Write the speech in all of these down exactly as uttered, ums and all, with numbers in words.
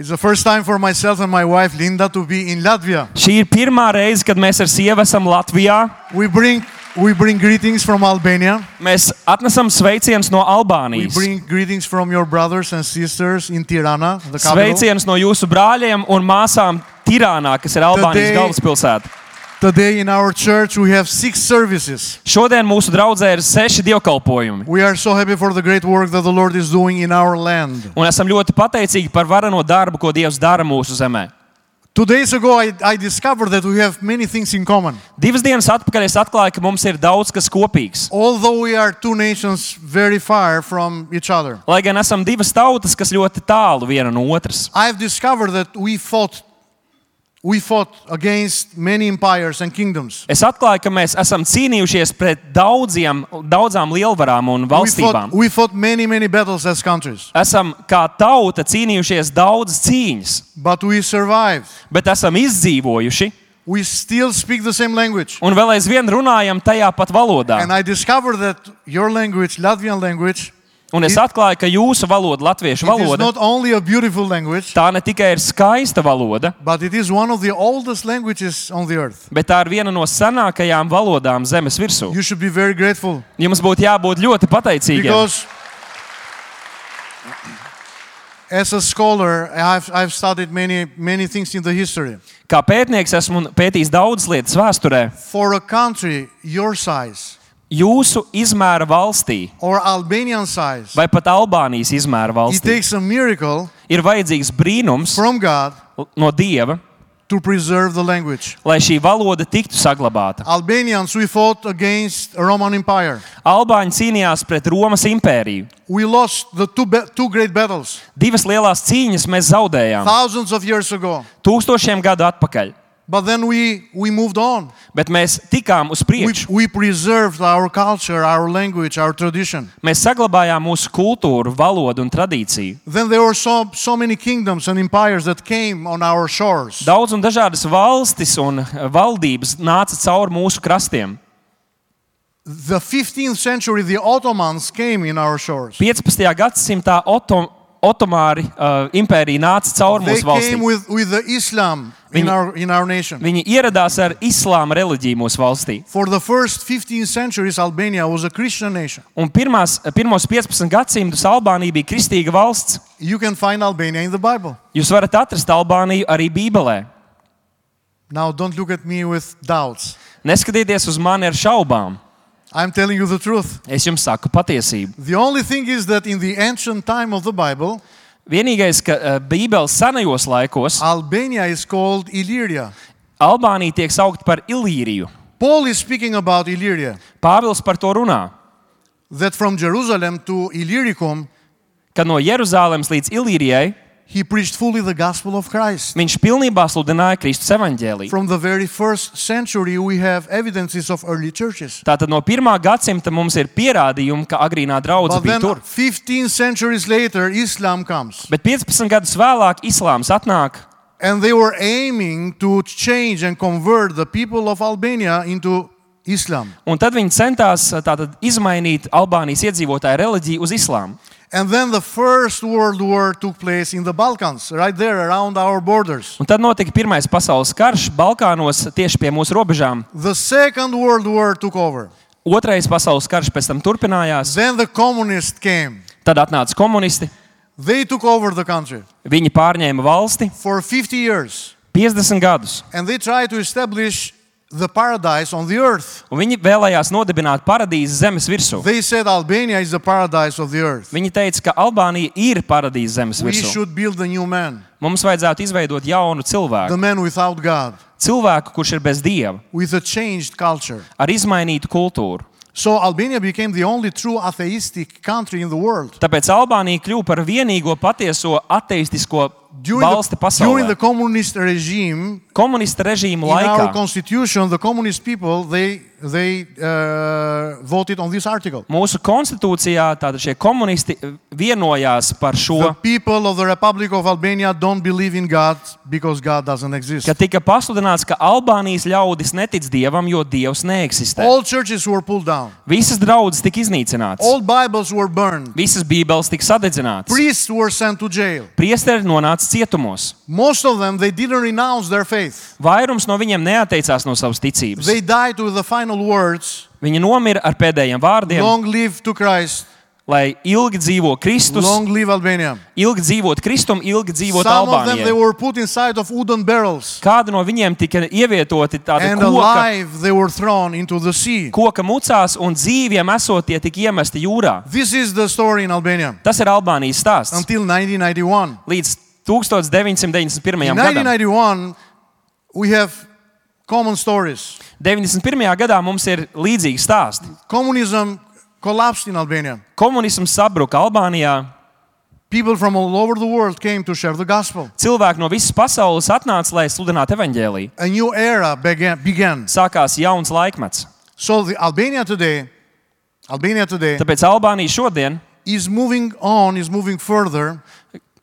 It's the first time for myself and my wife Linda to be in Latvia. Šī ir pirmā reize, kad mēs ar sievu esam Latvijā. We bring we bring greetings from Albania. Mēs atnesam sveicienus no We Albānijas. bring greetings from your brothers and sisters in Tirana, the capital. Sveicienus no jūsu brāļiem un māsām Tirānā, kas ir Albānijas Today- galvaspilsēta. Today in our church we have six services. Šodien mūsu draudzē ir seši dievkalpojumi. We are so happy for the great work that the Lord is doing in our land. Un esam ļoti pateicīgi par vareno darbu, ko Dievs dara mūsu zemē. Two days ago I, I discovered that we have many things in common. Divas dienas atpakaļ es atklāju, ka mums ir daudz kas kopīgs. Although we are two nations very far from each other. Lai gan esam divas tautas, kas ļoti tālu viena no otras. I've discovered that we fought we fought against many empires and kingdoms. Es atklāju, ka mēs esam cīnījušies pret daudziem, daudzām lielvarām un We fought, valstībām. we fought many, many battles as countries, Esam kā tauta cīnījušies daudzas cīņas, but we survived. bet esam izdzīvojuši We still speak the same language. un vēl aizvien runājam tajā pat valodā. And I discovered that your language, Latvian language, Un es atklāju, ka jūsu valoda, latviešu it is valoda, not only a beautiful language, tā ne tikai ir skaista valoda, but it is one of the oldest languages on the earth. bet tā ir viena no senākajām valodām zemes virsū. You should be very grateful Jums būtu jābūt ļoti pateicīgiem. because as a scholar, I've, I've studied many, many things in the history. Kā pētnieks esmu pētījis daudzas lietas vēsturē. For a country your size Jūsu izmēra valstī, or Albanian size, vai pat Albānijas izmēra it valstī, takes a miracle ir vajadzīgs brīnums from God no Dieva, to preserve the language. lai šī valoda tiktu saglabāta. Albanians, we fought against a Roman Empire. Albāņi cīnījās pret Romas impēriju. We lost the two, ba- two great battles Divas lielās cīņas mēs zaudējām thousands of years ago. tūkstošiem gadu atpakaļ, But then we, we moved on. bet mēs tikām uz We, priekšu. we preserved our culture, our language, our tradition. Mēs saglabājām mūsu kultūru, valodu un tradīciju. Then there were so, so many kingdoms and empires that came on our shores. Daudz un dažādas valstis un valdības nāca cauri mūsu krastiem. The fifteenth century, the Ottomans came in our shores. piecpadsmitajā gadsimtā Oto, Otomāri uh, impērija nāca cauri They mūsu valstī. came with, with the Islam in Viņi- our, in our nation. Viņi ieradās ar islāma reliģiju mūsu valstī. For the first fifteen centuries, Albania was a Christian nation. Un pirmās, pirmos piecpadsmit gadsimtus Albānija bija kristīga valsts. You can find Albania in the Bible. Jūs varat atrast Albāniju arī Bībelē. Now, don't look at me with doubts. Neskatieties uz mani ar šaubām. I'm telling you the truth. Es jums saku patiesību. The only thing is that in the ancient time of the Bible, Vienīgais, ka uh, Bībeles senajos laikos Albania is called Illyria. Albānija tiek saukt par Ilīriju. Paul is speaking about Illyria, Pāvils par to runā, that from Jerusalem to Illyricum, ka no Jeruzālēmas līdz Ilīrijai he preached fully the gospel of Christ. viņš pilnībā sludināja Kristus evaņģēliju. From the very first century, we have evidences of early churches. Tātad no pirmā gadsimta mums ir pierādījumi, ka agrīnā draudze But bija then, tur. fifteen centuries later, Islam comes. Bet piecpadsmit gadus vēlāk islāms atnāk, And they were aiming to change and convert the people of Albania into Islam. un tad viņi centās tātad izmainīt Albānijas iedzīvotāju reliģiju uz islāmu. And then the First World War took place in the Balkans, right there around our borders. Un tad notika Pirmais pasaules karš Balkānos tieši pie mūsu robežām. The Second World War took over. Otrais pasaules karš pēc tam turpinājās. Then the communists came. Tad atnāca komunisti. They took over the country Viņi pārņēma valsti for fifty years. piecdesmit gadus. And they tried to establish the paradise on the earth. Un viņi vēlējās nodibināt paradīzi zemes virsū. They said Albania is the paradise of the earth. Viņi teica, ka Albānija ir paradīze zemes We virsū. should build a new man, Mums vajadzētu izveidot jaunu the cilvēku. man without God, Cilvēku, kurš ir bez Dieva, with a changed culture. ar izmainītu kultūru. So Albania became the only true atheistic country in the world. Tāpēc Albānija kļuva par vienīgo patieso ateistisko During valsti the, during the pasaulē. communist regime, Komunista režīma in our laikā constitution, the communist people, they, they uh, voted on this article. mūsu konstitūcijā tātad šie komunisti vienojās par The šo, people of the Republic of Albania don't believe in God because God doesn't exist. ka tika pasludināts, ka Albānijas ļaudis netic Dievam, jo Dievs neeksistē. All churches were pulled down. Visas draudzes tika iznīcinātas. All Bibles were burned. Visas bībeles tika sadedzinātas. Priests were sent to jail. Priesteri nonāca nonāca cietumos. Most of them, they didn't renounce their faith. Vairums no viņiem neatteicās no savas ticības. They died with the final words, Viņi nomira ar pēdējiem vārdiem, long live to Christ, lai ilgi dzīvo Kristus, long live Albania. ilgi dzīvot Kristum, ilgi dzīvot Some of them, they Albānijai. were put inside of wooden barrels, Kādi no viņiem tika ievietoti tādi and koka, alive they were thrown into the sea. koka mucās un dzīviem esot tie tika iemesti jūrā. This is the story in Albania Tas ir Albānijas stāsts. until nineteen ninety-one. Līdz deviņpadsmit deviņdesmit pirmajam In gadam. nineteen ninety-one, we have common stories. deviņdesmit pirmajā gadā mums ir līdzīgi stāsti. Communism collapsed in Albania. Komunisms sabruka Albānijā. People from all over the world came to share the gospel. Cilvēki no visas pasaules atnāca, lai sludinātu evaņģēliju. A new era began. began. Sākās jauns laikmets. So the Albania today, Albania today Tāpēc Albānija šodien is moving on, is moving further,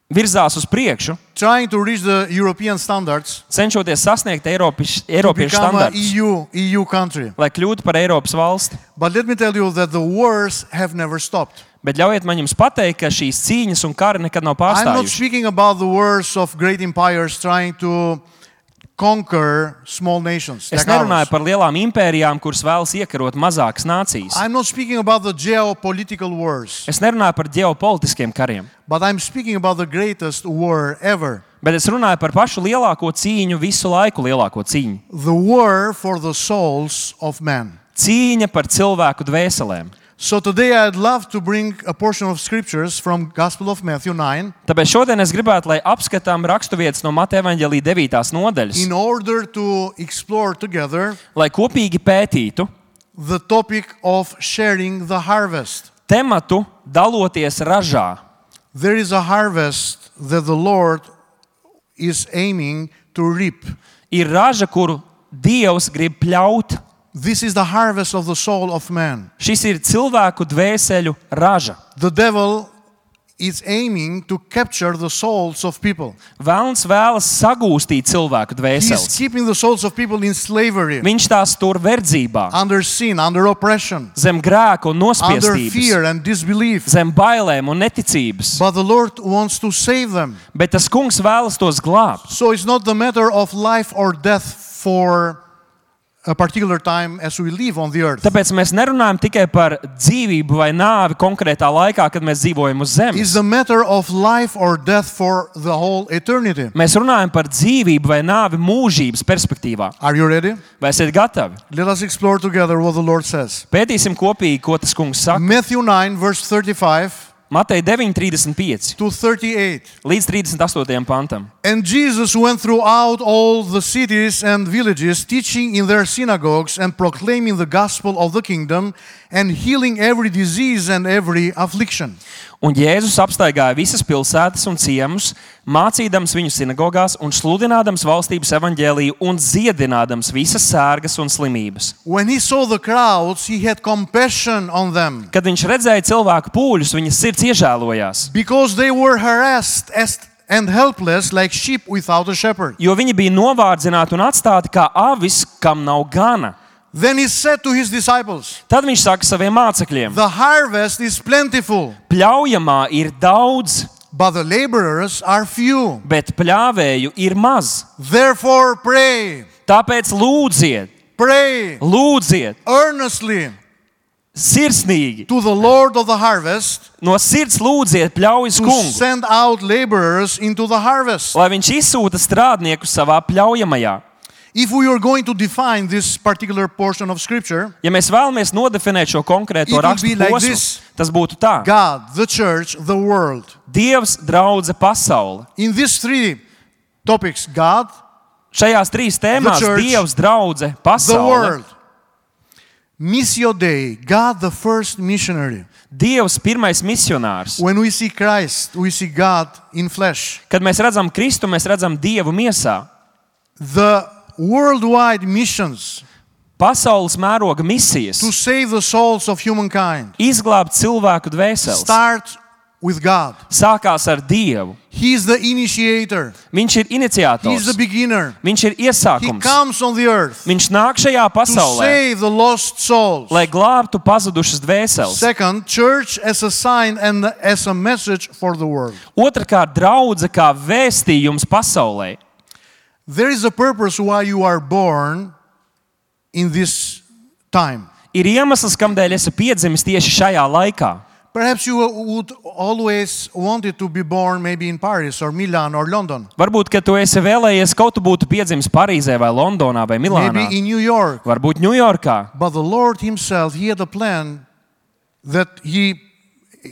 virzās uz priekšu, trying to reach the European standards cenšoties sasniegt Eiropas, to Eiropiešu become an standartus, E U, E U country. lai kļūtu par Eiropas valsti. But let me tell you that the wars have never stopped. Bet ļaujiet man jums pateikt, ka šīs cīņas un kari nekad nav I'm not pārstājuši. speaking about the wars of great empires trying to conquer small nations. Es like ours. nerunāju par lielām impērijām, kuras vēlas iekarot mazākas nācijas. I'm not speaking about the geopolitical wars, Es nerunāju par ģeopolitiskiem kariem, but I'm speaking about the greatest war ever. bet es runāju par pašu lielāko cīņu, visu laiku lielāko cīņu. The war for the souls of man. Cīņa par cilvēku dvēselēm. So today I'd love to bring a portion of scriptures from Gospel of Matthew nine Tāpēc šodien es gribētu, lai apskatām raksturvietas no Mateja evaņģēlija devītās nodaļas, in order to explore together lai kopīgi pētītu the topic of sharing the harvest. tematu daloties ražā. There is a harvest that the Lord is aiming to reap. Ir raža, kuru Dievs grib pļaut. This is the harvest of the soul of man. Šis ir cilvēku dvēseļu raža. The devil is aiming to capture the souls of people. Velns vēlas sagūstīt cilvēku He is dvēseles. keeping the souls of people in slavery, Viņš tās tur verdzībā, under sin, under oppression, zem grēka un under nospiestības, fear and disbelief. zem bailēm un neticības. But the Lord wants to save them. Bet tas kungs vēlas tos glābt. So it's not the matter of life or death for a particular time as we live on the earth. Tāpēc mēs nerunājam tikai par dzīvību vai nāvi konkrētā laikā, kad mēs dzīvojam uz It's zemes. the matter of life or death for the whole eternity. Mēs runājam par dzīvību vai nāvi mūžības perspektīvā. Are you ready? Vai esat gatavi? Let us explore together what the Lord says. Pētīsim kopīgi, ko tas kungs saka. Matthew nine, verse thirty-five Mateja deviņi trīsdesmit pieci to thirty-eight. līdz trīsdesmit astotajam pantam. And Jesus went throughout all the cities and villages, teaching in their synagogues and proclaiming the gospel of the kingdom and healing every disease and every affliction. Un Jēzus apstaigāja visas pilsētas un ciemus, mācīdams viņu sinagogās un sludinādams valstības evaņģēliju un dziedinādams visas sērgas un slimības. When he saw the crowds, he had compassion on them Kad viņš redzēja cilvēku pūļus, viņa sirds iežēlojās, because they were harassed as- and helpless like sheep without a shepherd. jo viņi bija novārdzināti un atstāti kā avis, kam nav gana. Then he said to his disciples, Tad viņš saka saviem mācekļiem: the harvest is plentiful, Pļaujamā ir daudz, but the laborers are few. bet pļāvēju ir maz. Therefore pray, Tāpēc lūdziet, pray lūdziet, earnestly sirsnīgi, to the Lord of the harvest no sirds lūdziet pļaujas to kungu, send out laborers into the harvest. lai viņš izsūta strādniekus savā pļaujamajā. If we are going to define this particular portion of scripture, Ja mēs vēlamies nodefinēt šo konkrēto It will rakstu be like posmu, this. tas būtu tā: God, the church, the world. Dievs, draudze, pasaule. In these three topics, God, Šajās trīs tēmās The church, Dievs, draudze, the pasaule, world. Missio Dei, God the first missionary. Dievs, pirmais misionārs. When we see Christ, we see God in flesh. Kad mēs redzam Kristu, mēs redzam Dievu miesā. The worldwide missions Pasaules mēroga misijas to save the souls of humankind izglābt cilvēku dvēseles start with God. sākās ar Dievu. He is the initiator. Viņš ir He is the iniciators. beginner. Viņš ir He iesākums. comes on the earth Viņš nāk šajā to pasaulē, save the lost souls. lai glābtu pazudušas dvēseles. Second, church as a sign and as a message for the world. Otrakārt, draudze kā vēstījums pasaulē. There is a purpose why you are born in this time. Ir iemesls, kādēļ esi piedzimis tieši šajā laikā. Perhaps you would always wanted to be born maybe in Paris or Milan or London. Varbūt, ka tu esi vēlējies kaut tu būtu piedzimis Parīzē vai Londonā vai Milānā. Maybe in New York. Varbūt Ņujorkā. But the Lord himself, he had a plan that he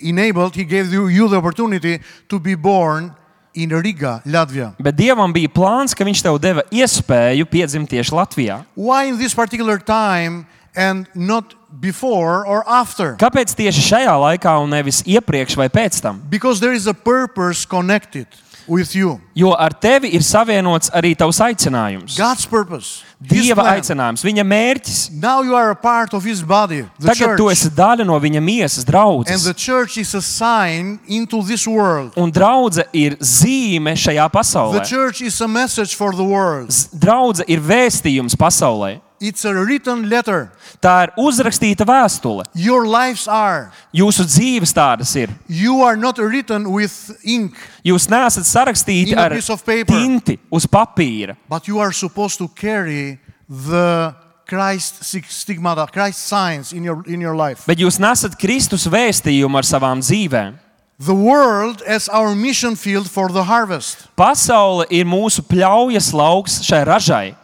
enabled, he gave you, you the opportunity to be born in Riga, Latvia. Bet Dievam bija plāns, ka viņš tev deva iespēju piedzimt tieši Latvijā. Why in this particular time and not before or after? Kāpēc tieši šajā laikā un nevis iepriekš vai pēc tam? Because there is a purpose connected with you. Jo ar tevi ir savienots arī tavs aicinājums. God's purpose. His Dieva plan. aicinājums, viņa mērķis. Now you are a part of his body, the Tagad tu church. esi daļa no viņa miesas, And draudzes. the church is a sign into this world. Un draudze ir zīme šajā The pasaulē. church is a message for the world. Z- Draudze ir vēstījums pasaulē. It's a written letter. Tā ir uzrakstīta vēstule. Your lives are. Jūsu dzīves tādas ir. You are not written with ink, Jūs neesat sarakstīti In a ar piece of paper. tinti uz papīra, but you are supposed to carry the Christ stigmata, Christ signs in your in your life. bet jūs nesat Kristus vēstījumu ar savām dzīvēm. The world as our mission field for the harvest. Pasaule ir mūsu pļaujas lauks šai ražai.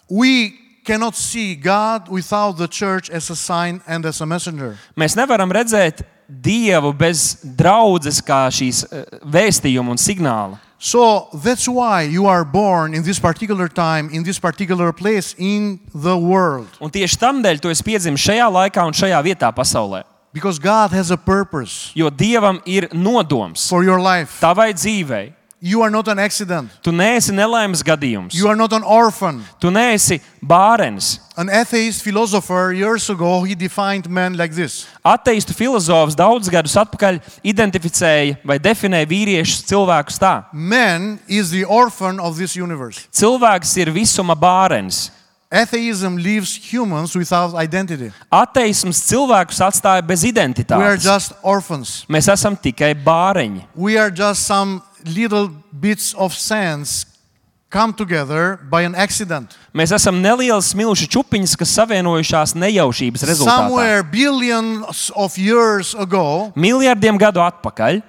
We cannot see God without the church as a sign and as a messenger. Mēs nevaram redzēt Dievu bez draudzes kā šīs eh, vēstījuma un signāla. So that's why you are born in this particular time, in this particular place in the world. Un tieši tamdēļ tu esi piedzimis šajā laikā un šajā vietā pasaulē. Because God has a purpose Jo Dievam ir nodoms for your life. tavai dzīvei. You are not an accident. Tu neesi nelaimes gadījums. You are not an orphan. Tu neesi bārens. An atheist philosopher years ago, he defined man like this. Ateistu filozofs daudz gadus atpakaļ identificēja vai definēja vīriešus cilvēkus tā. Man is the orphan of this universe. Cilvēks ir visuma bārens. Atheism leaves humans without identity. Ateisms cilvēkus atstāja bez We are identitātes. just orphans. Mēs esam tikai bāreņi. We are just some little bits of sands come together by an accident. Mēs esam nelielas smilšu čupiņas, kas savienojušās nejaušības rezultātā. Somewhere billions of years ago, Miljardiem gadu atpakaļ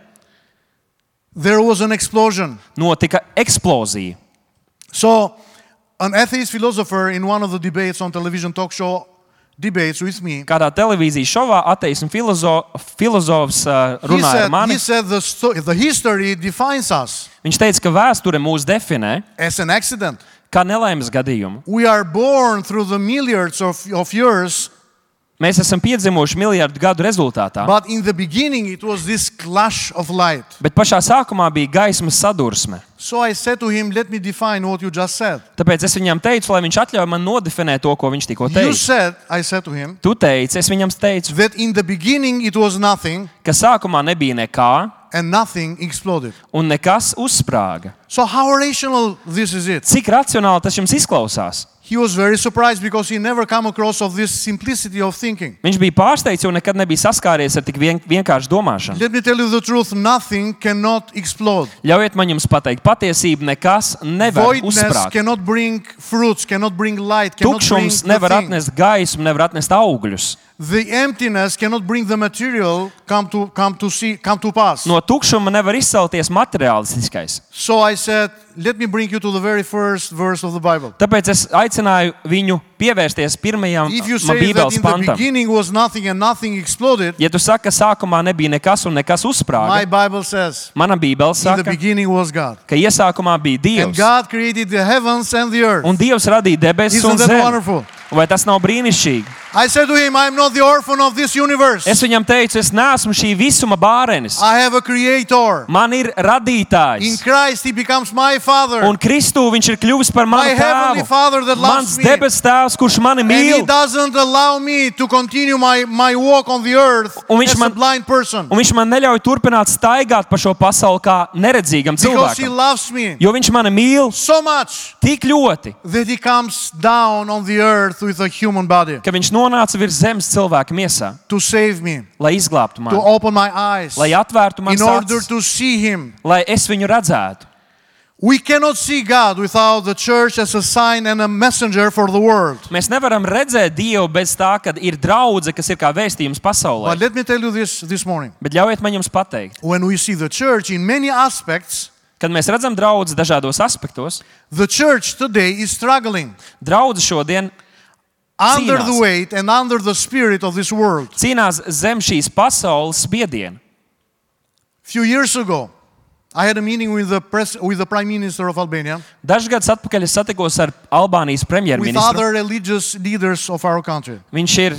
there was an explosion. notika eksplozija. So, an atheist philosopher in one of the debates on television talk show debates with me, Kādā televīzijas šovā ateismu filozo, filozofs uh, he runāja ar said, mani. he said the, sto- the history defines us Viņš teica, ka vēsture mūs definē as an accident. kā nelaimes gadījumu. We are born through the milliards of, of years, Mēs esam piedzimuši miljardu gadu rezultātā, but in the beginning it was this clash of light. bet pašā sākumā bija gaismas sadursme. So I said to him, let me define what you just said. Tāpēc es viņam teicu, lai viņš atļauj man nodefinēt to, ko viņš tikko You teica. said, I said to him, Tu teici, es viņam teicu, that in the beginning it was nothing ka sākumā nebija nekā and nothing exploded. un nekas uzsprāga. So how rational this is it? Cik racionāli tas jums izklausās? He was very surprised because he never come across of this simplicity of thinking. Viņš bija pārsteigts, jo nekad nebija saskāries ar tik vien, vienkāršu domāšanu. Let me tell you the truth, nothing cannot explode. Ļaujiet man jums pateikt patiesību, nekas nevar Voidness uzsprāgt. cannot bring fruits, cannot bring light, cannot bring Tukšums the nevar thing. atnest gaismu, nevar atnest augļus. The emptiness cannot bring the material come to come to see come to pass. No tukšuma nevar izcelties materiālistiskais. So I said, let me bring you to the very first verse of the Bible. Tāpēc es aicināju viņu pievērsties pirmajam If you no say that Bībeles in the pantam. beginning was nothing and nothing exploded, Ja tu saki, ka sākumā nebija nekas un nekas my uzsprāga, Bible says, mana Bībele in the saka, beginning was God. ka iesākumā bija And Dievs. God created the heavens and the earth. Un Dievs radīja debesis un Isn't that zemi. wonderful? Vai tas nav brīnišķīgi? I said to him, I'm not the orphan of this universe. Es viņam teicu, es neesmu šī visuma bārenis. I have a creator. Man ir In radītājs. Christ, he becomes my father. Un Kristū viņš ir kļuvis par My manu heavenly tēvu. Father that loves Mans me. debes tēvs, kurš mani And he mīl. doesn't allow me to continue my, my walk on the earth Un viņš as a man- blind person. Un viņš man neļauj turpināt staigāt pa šo pasauli kā neredzīgam Because he cilvēkam. loves me Jo viņš mani mīl so much tik ļoti, that he comes down on the earth with a human body ka viņš nonāca virs zemes cilvēka miesā, to save me, lai izglābtu to mani, open my eyes, lai atvērtu in manas order acis, to see him. lai es viņu redzētu. We cannot see God without the church as a sign and a messenger for the world. Mēs nevaram redzēt Dievu bez tā, ka ir draudze, kas ir kā vēstījums But pasaulē. let me tell you this this morning. Bet ļaujiet man jums pateikt, When we see the church in many aspects, kad mēs redzam draudzi dažādos aspektos, the church today is struggling draudze šodien under Cīnās. the weight and under the spirit of this world. cīnās zem šīs pasaules spiediena. Few years ago, I had a meeting with the pres- with the Prime Minister of Albania, Dažus gadus atpakaļ es satikos ar Albānijas with premjerministru. other religious leaders of our country. Viņš ir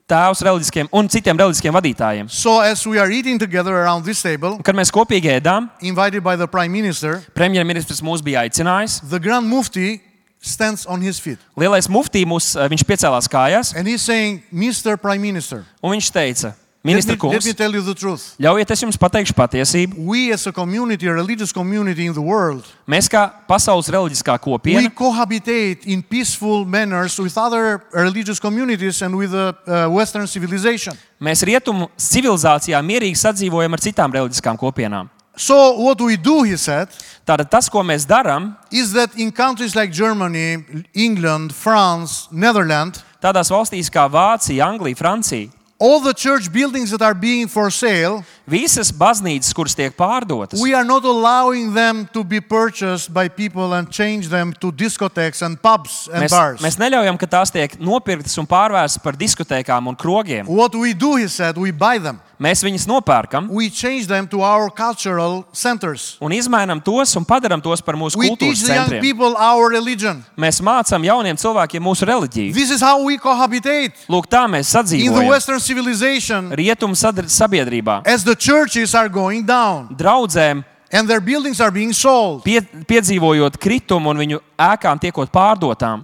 tēvs reliģiskiem un citiem reliģiskiem vadītājiem. So as we are eating together around this table, Un, kad mēs kopīgi ēdām, invited by the Prime Minister, premjerministrs mūs bija aicinājis. the Grand Mufti stands on his feet. Lielais muftī mūs, viņš piecēlās kājās And he's saying, Mister Prime Minister, un viņš teica: let Ministra me, let kungs, me tell you the truth. ļaujiet es jums pateikšu patiesību. We as a community, a religious community in the world, Mēs kā pasaules reliģiskā we kopiena, cohabitate in peaceful manners with other religious communities and with the uh, Western civilization. mēs rietumu civilizācijā mierīgi sadzīvojam ar citām reliģiskām kopienām. So what we do, he said, Tātad tas, ko mēs darām, is that in countries like Germany, England, France, Netherlands, tādās valstīs kā Vācija, Anglija, Francija, all the church buildings that are being for sale, visas baznīcas, kuras tiek pārdotas, we are not allowing them to be purchased by people and change them to discotheques and pubs and mēs, bars. mēs neļaujam, ka tās tiek nopirktas un pārvērstas par diskotēkām un krogiem. What we do, he said, we buy them. Mēs viņus nopērkam We change them to our cultural centers. un izmainām tos un padarām tos par mūsu We kultūras teach the young centriem. people our religion. Mēs mācām jauniem cilvēkiem mūsu reliģiju. This is how we cohabitate Lūk, tā mēs in the sadzīvojam Western civilization rietumu sadar- sabiedrībā. as the churches are going down Draudzēm and their buildings are being sold. pie, piedzīvojot kritumu un viņu ēkām tiekot pārdotām.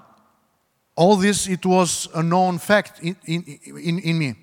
All this, it was a known fact in, in, in, in me.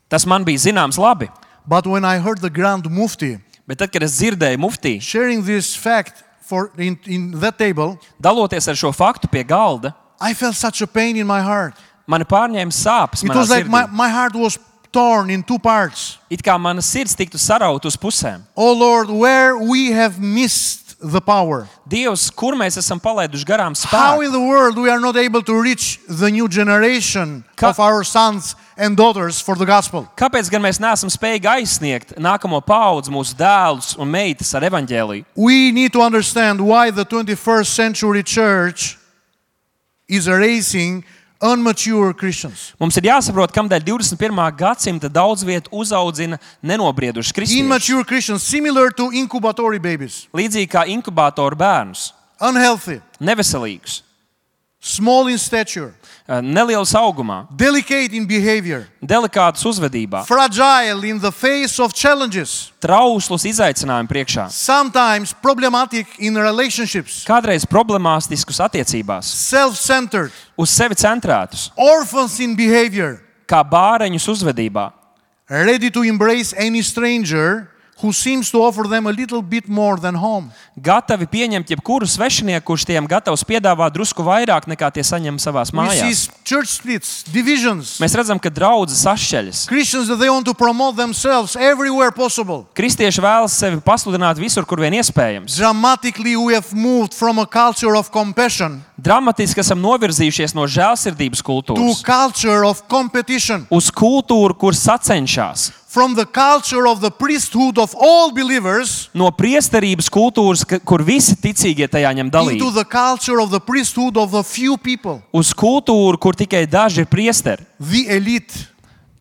Tas man bija zināms labi. But when I heard the Grand Mufti Bet tad, kad es dzirdēju muftī, sharing this fact for in, in that table, daloties ar šo faktu pie galda, I felt such a pain in my heart. mani pārņēma sāpes. It manā was like my, sirdī. my heart was torn in two parts. It kā mana sirds tiktu sarauta uz pusēm. Oh Lord, where we have missed the power. Dievs, kur mēs esam palaiduši garām How spēku? in the world we are not able to reach the new generation Ka- of our sons and daughters for the gospel? Kāpēc gan mēs neesam spējīgi aizsniegt nākamo paudzi, mūsu dēlus un meitas ar evaņģēliju? We need to understand why the twenty-first century church is raising unmature Christians. Mums ir jāsaprot, kādēļ divdesmit pirmā gadsimta daudz vietu uzaudzina nenobriedušus kristiešus. Immature Christians, similar to incubatory babies, Līdzīgi kā inkubātoru bērnus, unhealthy, neveselīgus, small in stature, nelielus augumā, delicate in behavior, delikātus uzvedībā, fragile in the face of challenges, trauslus izaicinājumu priekšā, sometimes problematic in relationships, kādreiz problemātiskus attiecībās, self-centered, uz sevi centrētus, orphans in behavior, kā bāreņus uzvedībā, ready to embrace any stranger who seems to offer them a little bit more than home. gatavi pieņemt jebkuru svešinieku, kurš tiem gatavs piedāvāt drusku vairāk nekā tie saņem savās We mājās. see church splits, divisions, Mēs redzam, ka draudzes sašķeļas. Christians that they want to promote themselves everywhere possible. Kristieši vēlas sevi pasludināt visur, kur vien iespējams. Dramatically, we have moved from a culture of compassion Dramatiski esam novirzījušies no žēlsirdības to kultūras culture of competition, uz kultūru, kur sacenšas. from the culture of the priesthood of all believers No priesterības kultūras, ka- kur visi ticīgie tajā ņem into dalību, the culture of the priesthood of the few people, uz kultūru, kur tikai daži ir priesteri, the elite.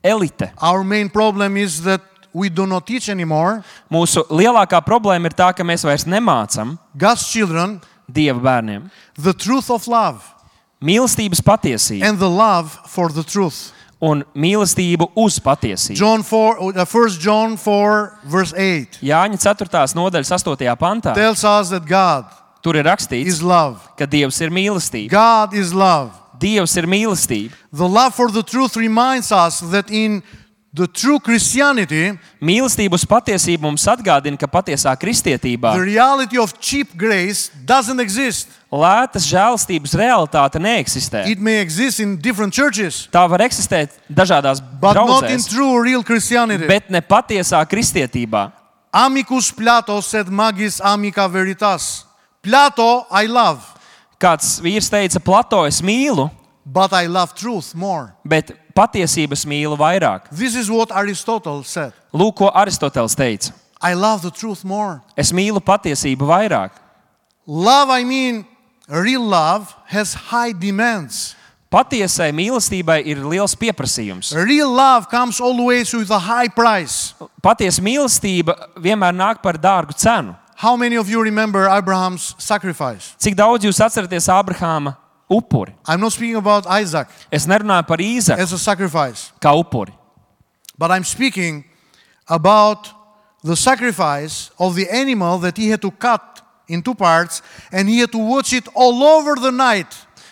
elite. Our main problem is that we do not teach anymore. Mūsu lielākā problēma ir tā, ka mēs vairs nemācam God's children Dieva bērniem the truth of love mīlestības patiesību and the love for the truth. un mīlestību uz patiesību. John four, uh, First John four, verse eight Jāņa ceturtās nodaļas astotajā pantā tells us that God tur ir rakstīts, is love. ka Dievs ir mīlestība. God is love. Dievs ir mīlestība. The love for the truth reminds us that in the true Christianity, Mīlestība uz patiesību mums atgādina, ka patiesā kristietībā the reality of cheap grace doesn't exist. lētas žēlastības realitāte neeksistē. It may exist in different churches, Tā var eksistēt dažādās but not in draudzēs, true, real Christianity. bet ne patiesā kristietībā. Amicus Plato sed magis amica veritas. Plato I love, Kāds vīrs teica, Plato es mīlu, but I love truth more. bet patiesības mīlu vairāk. This is what Aristotle said. Lūk, ko Aristoteles teica. I love the truth more. Es mīlu patiesību vairāk. Love, I mean, real love has high demands. Patiesai mīlestībai ir liels pieprasījums. Real love comes always with a high price. Patiesa mīlestība vienmēr nāk par dārgu cenu. How many of you remember Abraham's sacrifice? Cik daudz jūs atceraties Ābrahāma upuri? I'm not speaking about Isaac Es nerunāju par Īzaku as a sacrifice, kā upuri, but I'm speaking about the sacrifice of the animal that he had to cut in two parts and he had to watch it all over the night.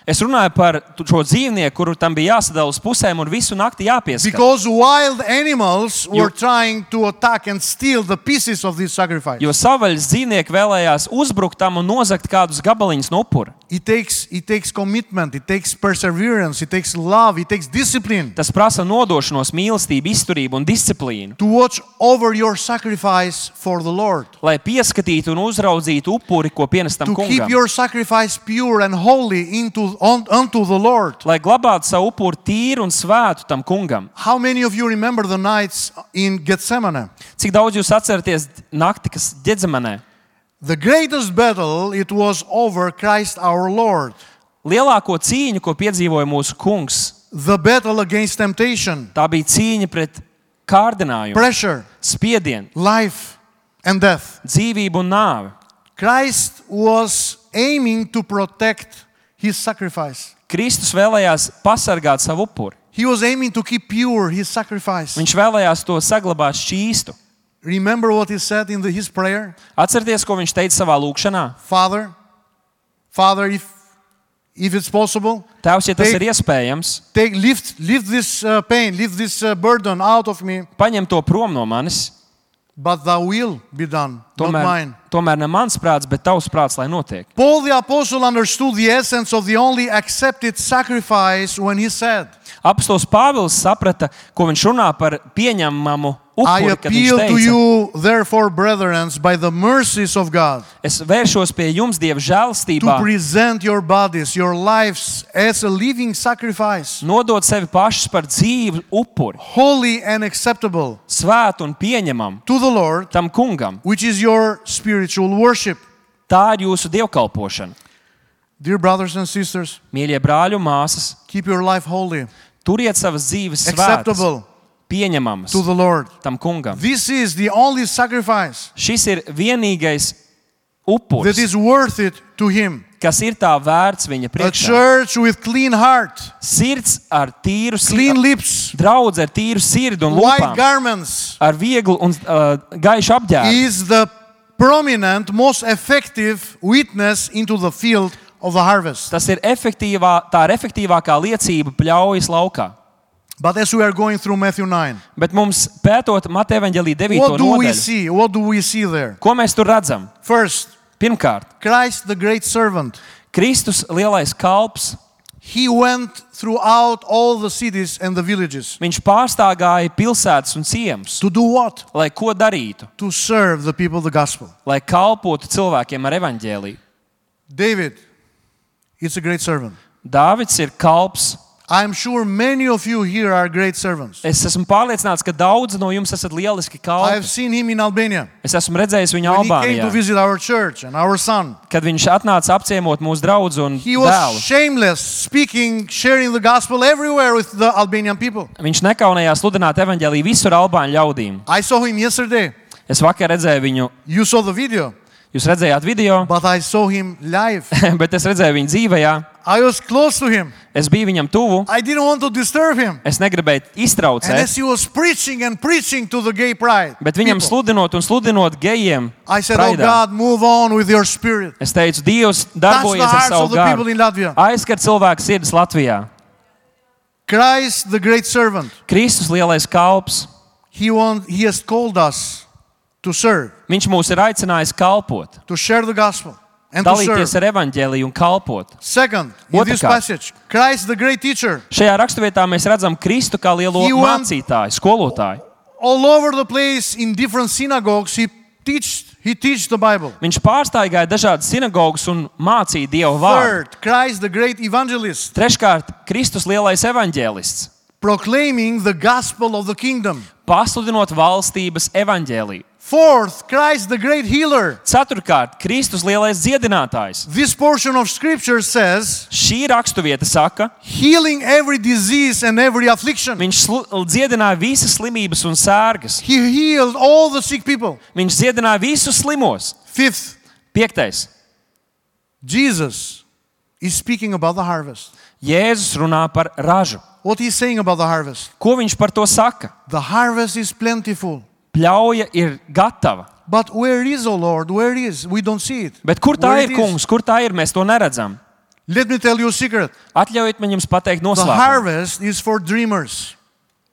Es runāju par tu- šo dzīvnieku, kuru tam bija jāsadala uz pusēm un visu nakti jāpieskata. Because wild animals were You- trying to attack and steal the pieces of this sacrifice. Jo savvaļas dzīvnieki vēlējās uzbrukt tam un nozagt kādus gabaliņus no upura. It takes, it takes commitment, it takes perseverance, it takes love, it takes discipline Tas prasa nodošanos, mīlestību, izturību un disciplīnu, to watch over your sacrifice for the Lord. lai pieskatītu un uzraudzītu upuri, ko pienestam To keep kungam. your sacrifice pure and holy into, on, unto the Lord. Lai glabātu savu upuri tīru un svētu tam kungam. How many of you remember the nights in Gethsemane? Cik daudz jūs atceraties nakti, kas Ģedzemanē? The greatest battle, it was over Christ our Lord. Lielāko cīņu, ko piedzīvoja mūsu kungs, The battle against temptation, tā bija cīņa pret kārdinājumu, pressure, spiedienu, life, and death. dzīvību un nāvi. Christ was aiming to protect his sacrifice. Kristus vēlējās pasargāt savu upuri. He was aiming to keep pure his sacrifice. Viņš vēlējās to saglabāt šķīstu. Remember what he said in the, his prayer? Atcerieties, ko viņš teica savā lūkšanā? Father, Father, if, if it's possible, Tēvs, ja tas Take- ir iespējams, take, lift, lift this uh, pain, lift this uh, burden out of me, paņem to prom no manis. but thy will be done, not Tomēr, mine. tomēr ne mans prāts, bet tavs prāts, lai notiek. Paul the apostle understood the essence of the only accepted sacrifice when he said, Apostols Pāvils saprata, ko viņš runā par pieņemamu I upuri, kad viņš appeal to teica, you, therefore, brethren, by the mercies of God, es vēršos pie jums Dieva to žēlstībā, present your bodies, your lives as a living sacrifice, nodot sevi pašus par dzīvu upuri, holy and acceptable svētu un pieņemam to the Lord, tam kungam. which is your spiritual worship. Tā ir jūsu dievkalpošana. Dear brothers and sisters, Mīļie brāļi un māsas, keep your life holy, turiet savas dzīves svētas, acceptable pieņemamas to the Lord. tam kungam. This is the only sacrifice Šis ir vienīgais that upuris, is worth it to Him. kas ir tā vērts viņa A priekšā. church with clean heart, Sirds ar tīru clean sirdi, lips, draudz ar tīru sirdi un white lūpām, garments ar vieglu un uh, gaišu apģērbu. is the prominent, most effective witness into the field of the harvest. Tas ir efektīvā, tā ir efektīvākā liecība pļaujas laukā. But as we are going through Matthew nine, Bet mums pētot Mateja evaņģēlī devīto what do we nodaļu, see? What do we see there? ko mēs tur redzam? First, Pirmkārt, Christ the great servant. Kristus lielais kalps, He went throughout all the cities and the villages. viņš pārstāgāja pilsētas un ciemus, To do what? lai ko darītu, To serve the people the gospel. lai kalpotu cilvēkiem ar evaņģēliju. David is a great servant. Dāvids ir kalps. I'm sure many of you here are great servants. Es esmu pārliecināts, ka daudzi no jums esat lieliski I have kalpi. seen him in Albania. Es esmu redzējis viņu When he came Albānijā, to visit our church and our son, kad viņš atnāca apciemot mūsu draugu un he was dēlu. shameless, speaking, sharing the gospel everywhere with the Albanian people. Viņš nekaunējās sludināt evaņģēliju visur Albāņu ļaudīm. I saw him yesterday. Es vakar redzēju viņu, You saw the video, jūs redzējāt video, but I saw him live. bet es redzēju viņu dzīvajā. I was close to him. Es biju viņam tuvu. I didn't want to disturb him. Es negribēju And iztraucēt. as he was preaching and preaching to the gay pride, Bet viņam people, sludinot un sludinot gejiem, I said, oh praidā, God, move on with your spirit. es teicu, Dievs Touch the darbojies ar hearts savu of the people garu. in Latvia. Aizskar cilvēku sirdis Latvijā. Christ, the great servant, Kristus lielais kalps. he, want, he has called us to serve, Viņš mūs ir aicinājis kalpot, to share the gospel, and to dalīties serve. ar evaņģēliju un kalpot. Second, in this Otrkārt. passage, Christ, the great teacher, Šajā raksturvietā mēs redzam Kristu kā lielo He want- mācītāju, skolotāju. all over the place in different synagogues, he teach, he teach the Bible. Viņš pārstāvīja dažādas sinagogas un mācīja Dievu vārdu. Third, Christ, the great evangelist, Treškārt, Kristus lielais evaņģēlists, proclaiming the gospel of the kingdom. pasludinot valstības evaņģēliju. Fourth, Christ, the great healer. Ceturtkārt, Kristus lielais dziedinātājs. This portion of scripture says, Šī raksturvieta saka, healing every disease and every affliction. viņš slu- dziedināja visas slimības un sērgas. He healed all the sick people. Viņš dziedināja visus slimos. Fifth, Piektais. Jesus is speaking about the harvest. Jēzus runā par ražu. What he's saying about the harvest? Ko viņš par to saka? The harvest is plentiful. Pļauja ir gatava. But where is, O Lord? Where is? We don't see it. Bet kur tā Where ir, it is? kungs? Kur tā ir? Mēs to neredzam. Let me tell you a secret. Atļaujiet man jums pateikt The noslēpumu. harvest is for dreamers.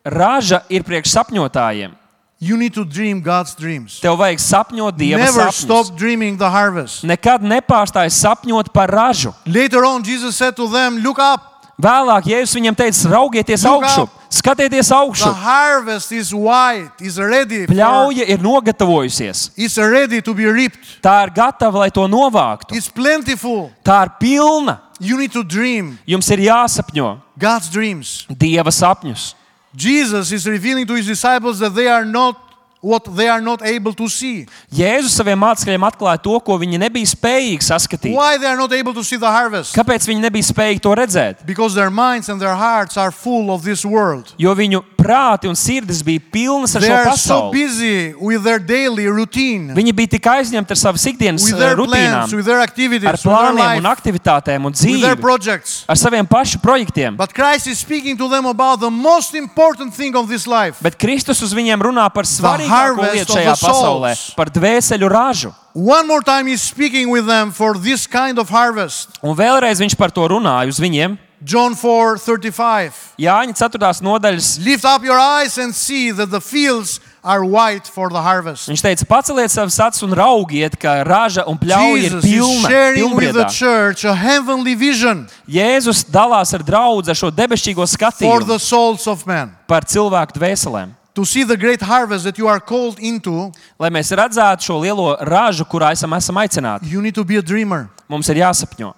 Raža ir priekš sapņotājiem. You need to dream God's dreams. Tev vajag sapņot Dieva Never sapņus. stop dreaming the harvest. Nekad nepārstāj sapņot par ražu. Later on, Jesus said to them, look up. Vēlāk Jēzus viņam teica, raugieties Look augšu, up. skatieties The augšu. harvest is white, is ready. For, Pļauja ir nogatavojusies. it's ready to be reaped. Tā ir gatava, lai to novāktu. It's plentiful. Tā ir pilna. You need to dream Jums ir jāsapņo God's dreams. Dieva sapņus. Jesus is revealing to his disciples that they are not what they are not able to see. Jēzus saviem mācekļiem atklāja to, ko viņi nebija spējīgi saskatīt. Why they are not able to see the harvest? Kāpēc viņi nebija spējīgi to redzēt? Because their minds and their hearts are full of this world. Jo viņu prāti un sirdis bija pilnas ar They šo are so pasauli. busy with their daily routine, Viņi bija tik aizņemti ar savas ikdienas with eh, their rutīnām, plans, with their activities, ar with their plāniem un life, aktivitātēm un with their dzīvi, projects. ar saviem pašu projektiem. But Christ is speaking to them about the most important thing of this life. Bet Kristus uz viņiem runā par svarīgāko harvest lietu of šajā the pasaulē, souls. par dvēseļu ražu. One more time he's speaking with them for this kind of harvest. Un vēlreiz viņš par to runāja uz viņiem. John four thirty-five. Jāņa ceturtās nodaļas. Lift up your eyes and see that the fields are white for the harvest. Viņš teica, paceliet savas acis un raugiet, ka raža un pļauja ir Jesus is pilna, sharing with the pilnbriedā. church a heavenly vision Jēzus dalās ar draudzi ar šo debesšķīgo for skatījumu the souls of men. par cilvēku dvēselēm. To see the great harvest that you are called into, Lai mēs redzētu šo lielo ražu, kurā esam, esam aicināti, you need to be a dreamer. mums ir jāsapņo.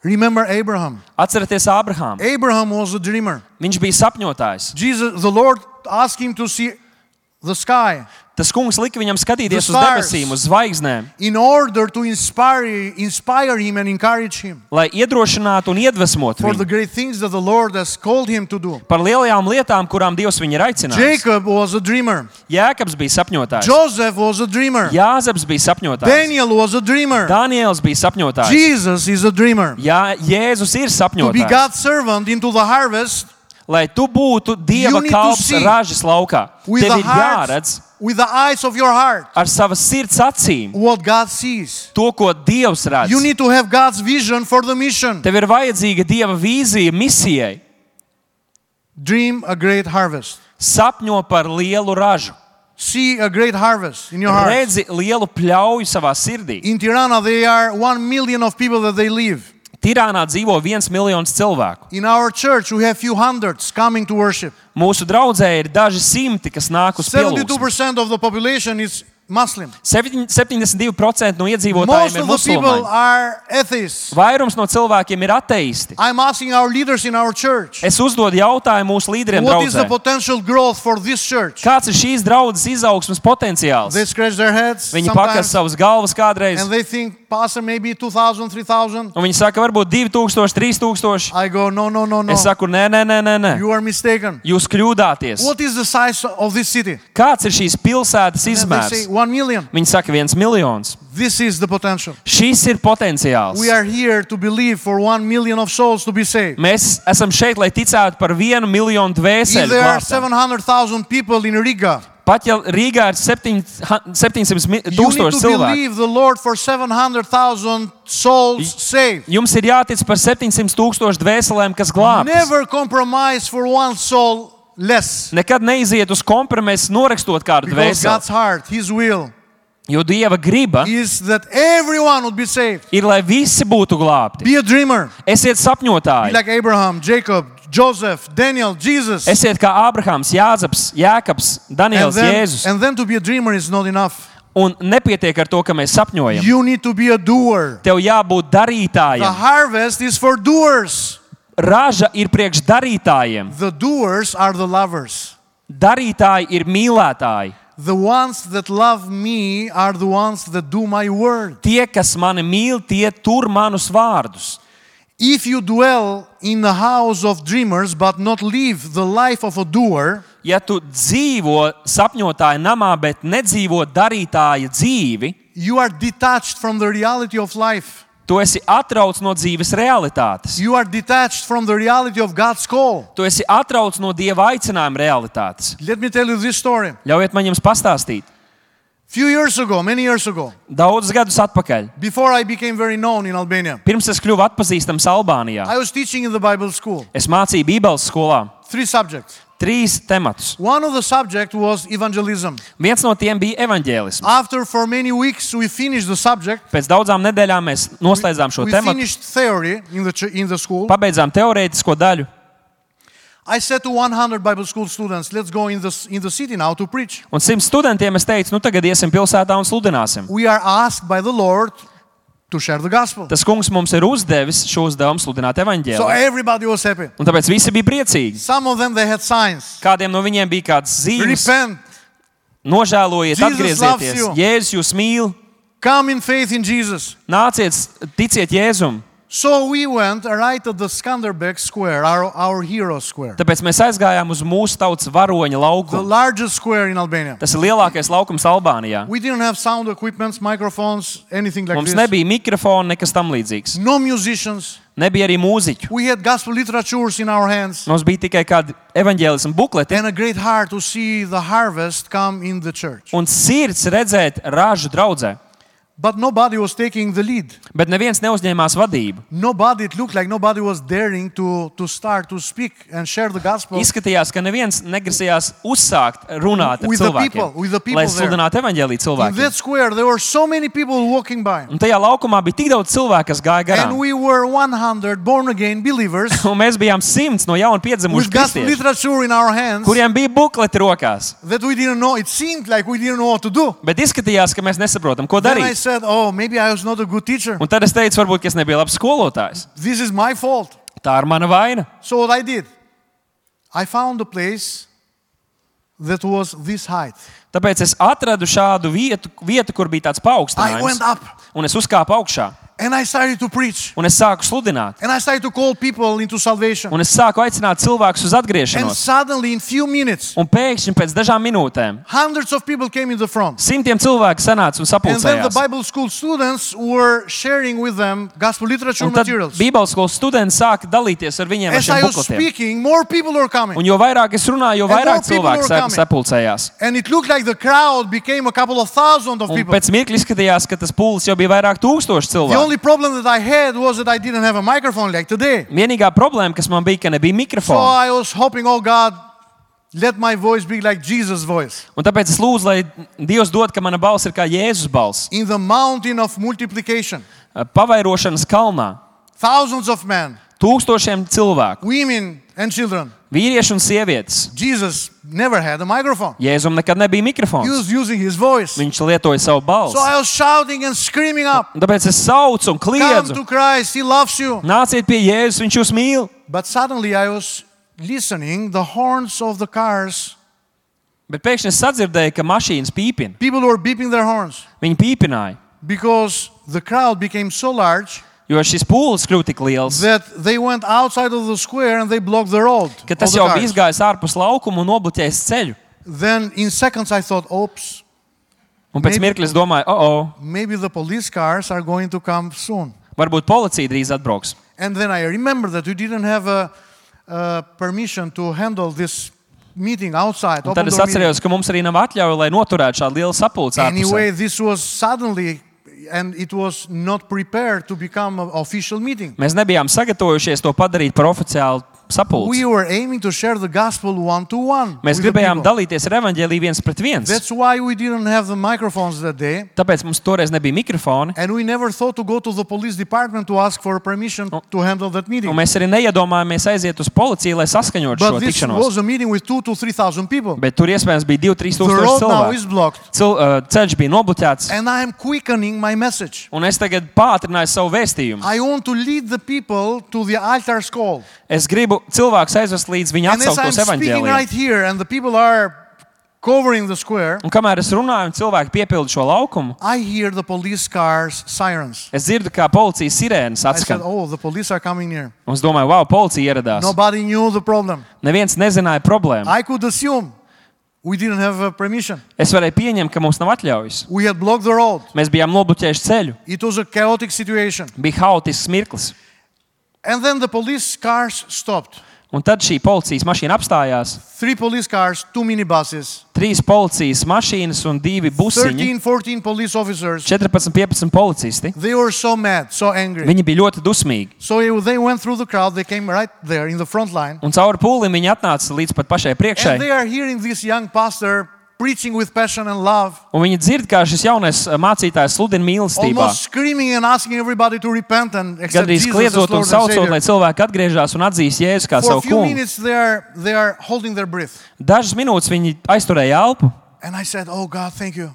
Remember Abraham. Atcerieties Ābrahāmu. Abraham was a dreamer. Viņš bija sapņotājs. Jesus, the Lord asked him to see the sky Tas kungs lika viņam skatīties The uz stars. debesīm, uz zvaigznēm, in order to inspire, inspire him and encourage him lai iedrošinātu un iedvesmotu for the viņu great things that the Lord has called him to do. par lielajām lietām, kurām Dievs viņu ir aicinājis. Jacob was a dreamer. Jēkabs bija sapņotājs. Joseph was a dreamer. Jāzeps bija sapņotājs. Daniel was a dreamer. Daniels bija sapņotājs. Jesus is a dreamer. Jā, Jēzus ir To be sapņotājs. God's servant into the harvest Lai tu būtu Dieva You need to kalps see ražas laukā, with tev the ir heart, jāredz with the eyes of your heart, ar savas sirds acīm what God sees. to, ko Dievs redz. You need to have God's vision for the mission. Tev ir vajadzīga Dieva vīzija misijai. Dream a great harvest. Sapņo par lielu ražu. See a great harvest in your heart. Redzi lielu pļauju savā sirdī. In Tirana, there are one million of people that they live. Tirānā dzīvo viens miljons cilvēku. In our church, we have few hundreds coming to worship. Mūsu draudzē ir daži simti, kas nāk uz seventy-two pielūgsmu. percent of the population is Muslim. septiņdesmit divi procenti no Most iedzīvotājiem ir of the people musulmaņi. are atheists. Vairums no cilvēkiem ir ateisti. I'm asking our leaders in our church, Es uzdodu jautājumu mūsu līderiem what is the draudzē. potential growth for this church? Kāds ir šīs draudzes izaugsmes potenciāls? They scratch their heads Viņi pakas sometimes, savas galvas kādreiz, and they think, Pastor, maybe two thousand, three thousand. un viņi saka, varbūt divi tūkstoši, trīs tūkstoši. I go, no, no, no, no. Es saku, nē, nē, nē, nē, nē. You are mistaken. Jūs kļūdāties. What is the size of this city? Kāds ir šīs pilsētas And they say, izmērs? one million. Viņi saka, viens miljons. This is the potential. Šis ir potenciāls. We are here to believe for one million of souls to be saved. Mēs esam šeit, lai ticētu par vienu miljonu If dvēseli there are glābtam. seven hundred thousand people in Riga, Pat ja Rīgā ir septiņsimt you need tūkstoši to cilvēku, believe the Lord for seven hundred thousand souls saved. jums ir jātic par septiņsimt tūkstošu dvēselēm, kas glābtas. Never compromise for one soul less. Nekad neiziet uz kompromisu, norakstot kādu Because God's dvēseli. heart, His will, Jo Dieva griba is that everyone would be saved. ir, lai visi būtu glābti. Be a dreamer. Esiet Be sapņotāji. like Abraham, Jacob, Joseph, Daniel, Jesus. Esiet kā Ābrahāms, Jāzeps, Jēkabs, And Daniels, then, Jēzus. and then to be a dreamer is not enough. Un nepietiek ar to, ka mēs sapņojam. You need to be a doer. Tev jābūt The darītājam. harvest is for doers. Raža ir priekš darītājiem. The doers are the lovers. Darītāji ir mīlētāji. The ones that love me are the ones that do my word. Tie, kas mani mīl, tie tur manus vārdus. If you dwell in the house of dreamers but not live the life of a doer, Ja tu dzīvo sapņotāja namā, bet nedzīvo darītāja dzīvi, you are detached from the reality of life. tu esi atrauts no dzīves realitātes. You are detached from the reality of God's call. Tu esi atrauts no Dieva aicinājuma realitātes. Let me tell you this story. Ļaujiet man jums pastāstīt. Few years ago, many years ago, Daudzus gadus atpakaļ, before I became very known in Albania, pirms es kļuvu atpazīstams Albānijā, I was teaching in the Bible school. es mācīju Bībeles skolā Three subjects. trīs tematus. One of the subjects was evangelism. Viens no tiem bija evaņģēlisms. After for many weeks we finished the subject, Pēc daudzām nedēļām mēs noslēdzām šo we tematu, finished theory in the ch- in the school. pabeidzām teorētisko daļu. I said to one hundred Bible school students, let's go in the in the city now to preach. Un simt studentiem es teicu, nu tagad iesim pilsētā un sludināsim. We are asked by the Lord to share the gospel. Tas kungs mums ir uzdevis šo uzdevumu sludināt So evaņģēliju. everybody was happy. Un tāpēc visi bija priecīgi. Some of them they had signs. Kādiem no viņiem bija kādas zīmes. Repent, Nožēlojiet, Jesus loves atgriezieties. you. Jēzus jūs mīl. come in faith in Jesus. Nāciet, ticiet Jēzum. So we went right at the Skanderbeg Square, our, our hero square, Tāpēc mēs aizgājām uz mūsu tautas varoņa the laukumu. largest square in Albania. Tas ir lielākais laukums Albānijā. We didn't have sound equipments, microphones, anything like Mums this. nebija mikrofona, nekas tam līdzīgs. No musicians. Nebija arī mūziķu. We had gospel literatures in our hands Mums bija tikai kādi evaņģēlismu bukleti and a great heart to see the harvest come in the church. un sirds redzēt ražu draudzē. But nobody was taking the lead. Bet neviens neuzņēmās vadību. Nobody, it looked like nobody was daring to, to start to speak and share the gospel. Izskatījās, ka neviens negrasījās uzsākt runāt ar With the people, cilvēkiem, with the people lai there. sludinātu evaņģēliju In cilvēkiem. that square, there were so many people walking by. Un tajā laukumā bija tik daudz cilvēku, kas gāja garām. And we were one hundred born-again believers Un mēs bijām simts no jauna piedzimuši with gospel kristieši, literature in our hands kuriem bija bukleti rokās. that we didn't know. It seemed like we didn't know what to do. Bet izskatījās, ka mēs nesaprotam, ko Then I darīt. said, oh, maybe I was not a good teacher. Un tad es teicu, varbūt ka es nebiju labs skolotājs. This is my fault. Tā ir mana vaina. So what I did, I found a place that was this height. Tāpēc es atradu šādu vietu, vietu kur bija tāds I went paaugstinājums, up un es uzkāpu augšā, and I started to preach. un es sāku sludināt. And I started to call people into salvation. Un es sāku aicināt cilvēkus uz And atgriešanos. suddenly, in few minutes, Un pēkšņi pēc dažām minūtēm hundreds of people came in the front. simtiem cilvēku sanāca un And then the sapulcējās. Bible school students were sharing with them gospel literature Un tad materials. Bībeles skolas studenti sāka dalīties ar viņiem ar As I šiem was bukletiem. speaking, more people were coming. Un jo vairāk es runāju, jo And vairāk more people cilvēku were sa- coming. sapulcējās. And it looked like the crowd became a couple of thousand of Un people. pēc mirkļa izskatījās, ka tas pūlis jau bija vairāk tūkstoši The cilvēku. only problem that I had was that I didn't have a microphone like today. Vienīgā problēma, kas man bija, ka nebija So mikrofona. I was hoping, oh God, let my voice be like Jesus' voice. Un tāpēc es lūdzu, lai Dievs dod, ka mana balss ir kā Jēzus balss. In the mountain of multiplication, Pavairošanas kalnā. thousands of men, Tūkstošiem cilvēku. women, and children. Vīrieši un sievietes. Jesus never had a microphone. Jēzum nekad nebija He mikrofons. was using his voice. Viņš lietoja savu balsi. So I was shouting and screaming up, Un tāpēc es saucu un come kliedzu. to Christ, He loves you. Nāciet pie Jēzus, viņš jūs mīl. But suddenly I was listening, the horns of the cars, Bet pēkšņi es sadzirdēju, ka mašīnas pīpina. people were beeping their horns Viņi pīpināja, because the crowd became so large jo šis pūlis kļuva tik liels, that they went outside of the square and they blocked the road. ka of tas the jau cars. bija izgājis ārpus laukuma un nobloķējis ceļu. Then in seconds I thought, oops, Un pēc Maybe- mirkļa es domāju, o, oh, maybe the police cars are going to come soon. varbūt policija drīz atbrauks. And then I remember that we didn't have a, a permission to handle this meeting outside. Un open tad es door meeting. atceros, ka mums arī nav atļauja, lai noturētu šādu lielu sapulci Anyway, ārpusē. this was suddenly, and it was not prepared to become an official meeting. Mēs nebijām sagatavojušies to padarīt par oficiālu sapulci. We were aiming to share the gospel one to one. Mēs with the gribējām people. dalīties ar evaņģēliju viens pret viens. That's why we didn't have the microphones that day. Tāpēc mums toreiz nebija mikrofoni. And we never thought to go to the police department to ask for permission to handle that meeting. Un mēs arī neiedomājāmies aiziet uz policiju, lai saskaņotu šo But this tikšanos. was a meeting with two to three thousand people. Bet tur iespējams bija divi, trīs The tūkstoši road now is cilvēku. blocked, Cil, uh, ceļš bija nobloķēts. and I am quickening my message. Un es tagad pātrināju savu vēstījumu. I want to lead the people to the altar's call. Es gribu cilvēkus aizvest līdz viņa And as I'm atsauktos speaking right evaņģēlijam. here, and the people are covering the square, Un kamēr es runāju, un cilvēki piepilda šo laukumu, I hear the police cars sirens. es dzirdu, kā policijas sirēnas I said, atskan. oh, the police are coming near. Un es domāju, wow, policija ieradās. Nobody knew the problem. Neviens nezināja problēmu. I could assume we didn't have uh, permission. Es varēju pieņemt, ka mums nav atļaujas. We had blocked the road. Mēs bijām nobloķējuši ceļu. It was a chaotic situation. Bija haotisks mirklis. And then the police cars stopped. Un tad šī policijas mašīna apstājās. Three police cars, two minibuses, Trīs policijas mašīnas un divi busiņi. thirteen, fourteen police officers. četrpadsmit, piecpadsmit policisti. They were so mad, so angry. Viņi bija ļoti dusmīgi. So they went through the crowd. They came right there in the front line. Un cauri pūlim viņi atnāca līdz pat pašai priekšai. And they are hearing this young pastor preaching with passion and love, Un viņi dzird, kā šis jaunais mācītājs sludina mīlestībā. almost screaming and asking everybody to repent and accept Gandrīz Jesus as kliedzot un Lord and saucot, lai Savior. cilvēki atgriežas un atzīst Jēzu kā For a savu few kungu. minutes they are, they are holding their breath. Dažas minūtes viņi aizturēja elpu. And I said, oh God, thank you.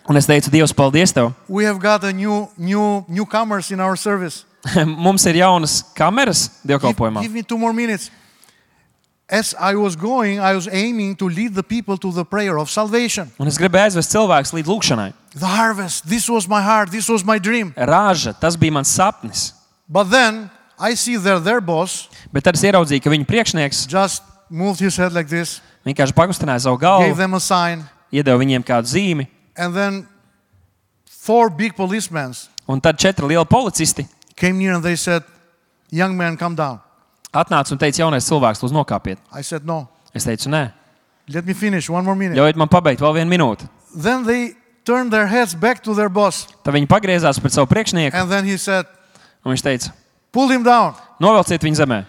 Un es teicu, Dievs, paldies tev. We have got a new, new, newcomers in our service. Mums ir jaunas kameras Give, dievkalpojumā. give me two more minutes. As I was going, I was aiming to lead the people to the prayer of salvation. Un es gribēju aizvest cilvēkus līdz lūkšanai. The harvest, this was my heart, this was my dream. Rāža, tas bija mans sapnis. But then I see that their boss Bet tad es ieraudzīju, ka viņa priekšnieks just moved his head like this, vienkārši pagustināja savu gave galvu, them a sign, iedeva viņiem kādu zīmi. and then four big policemen Un tad četri lieli policisti came near and they said, young man, come down. atnāca un teica, jaunais cilvēks, lūdzu nokāpiet. I said, no, Es teicu, nē, let me finish, one more minute. ļaujiet man pabeigt vēl vienu minūti. Then they turned their heads back to their boss, Tad viņi pagriezās pret savu priekšnieku and then he said, un viņš teica, pull him down. novelciet viņu zemē.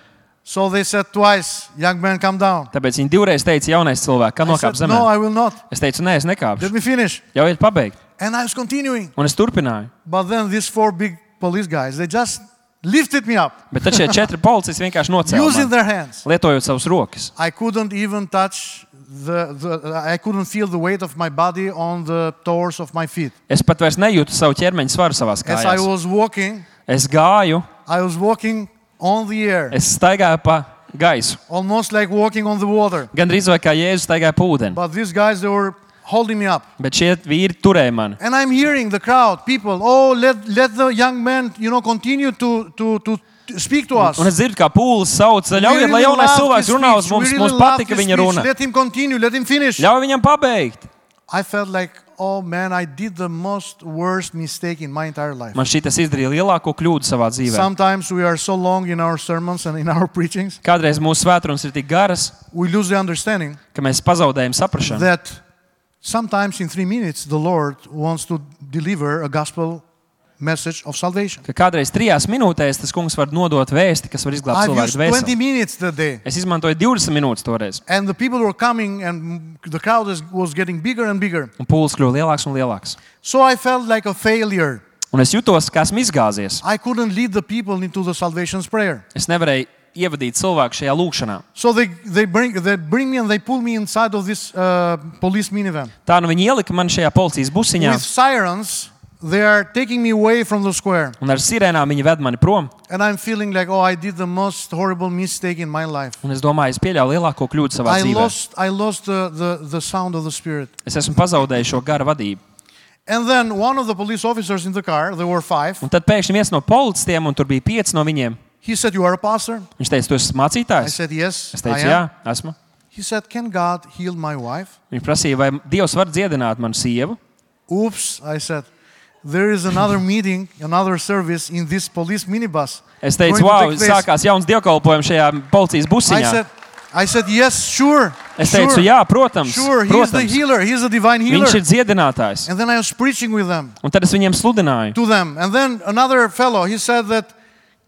So they said twice, young man, come down. Tāpēc viņi divreiz teica, jaunais cilvēks, kā I nokāp said, zemē. no, I will not. Es teicu, nē, es nekāpšu. Let me finish. Ļaujiet pabeigt. And I was continuing. Un es turpināju. But then these four big police guys, they just lifted me up, Bet tad šie četri policisti vienkārši nocēla using mani, their hands. lietojot savus rokas. I couldn't even touch the, the I couldn't feel the weight of my body on the toes of my feet. Es pat vairs nejūtu savu ķermeņa svaru savās As I kājās. was walking, Es gāju, I was walking on the air, es staigāju pa gaisu. almost like walking on the water. Gan drīz vai kā Jēzus staigāja pa ūdeni. But these guys, they were holding me up. Bet šie vīri turēja mani. And I'm hearing the crowd, people, oh, let, let the young man, you know, continue to, to, to speak to us. Un es dzirdu, kā pūlis sauc, We ļaujiet, lai really jaunais love cilvēks this runā uz speech. mums. We Mums really love patika this viņa speech. runa. Let him continue, let him finish. Ļauj viņam pabeigt. I felt like, oh man, I did the most worst mistake in my entire life. Man šitas izdarīja lielāko kļūdu savā dzīvē. Sometimes we are so long in our sermons and in our preachings, Kādreiz mūsu svētrunas ir tik garas, we lose the understanding ka mēs pazaudējam saprašanu. that sometimes in three minutes the Lord wants to deliver a gospel message of salvation. Ka kādreiz trijās minūtēs tas kungs var nodot vēsti, kas var izglābt I've cilvēku used twenty dvēseli. minutes that day. Es izmantoju divdesmit minūtes toreiz. And the people were coming and the crowd is, was getting bigger and bigger. Un pūlis kļuva lielāks un lielāks. So I felt like a failure. Un es jutos, ka esmu izgāzies. I couldn't lead the people into the salvation's prayer. Es nevarēju ievadīt cilvēku šajā lūkšanā. So they, they, bring, they bring me and they pull me inside of this uh, police minivan. Tā nu viņi ielika man šajā policijas busiņā, With sirens, they are taking me away from the square. un ar sirēnām viņi ved mani prom. And I'm feeling like, oh, I did the most horrible mistake in my life. Un es domāju, es pieļauju lielāko kļūdu savā I dzīvē. lost, I lost the, the, the sound of the Spirit. Es esmu pazaudējis šo gara vadību. And then one of the police officers in the car, there were five, Un tad pēkšņi viens no policistiem, un tur bija pieci no viņiem, he said, you are a pastor? viņš teica, tu esi I mācītājs? said, yes, Es I teicu, am. jā, esmu. He said, can God heal my wife? Viņš prasīja, vai Dievs var dziedināt manu sievu? Oops, I said. There is another meeting, another service in this police minibus. Es teicu, going to wow, take place." sākās jauns dievkalpojums šajā policijas I busiņā. said, I said, yes, sure. Es teicu, sure, jā, protams, sure. He's the protams. healer. He's the divine healer. Viņš ir dziedinātājs. And then I was preaching with them, Un tad es viņiem sludināju. to them. And then another fellow, he said that,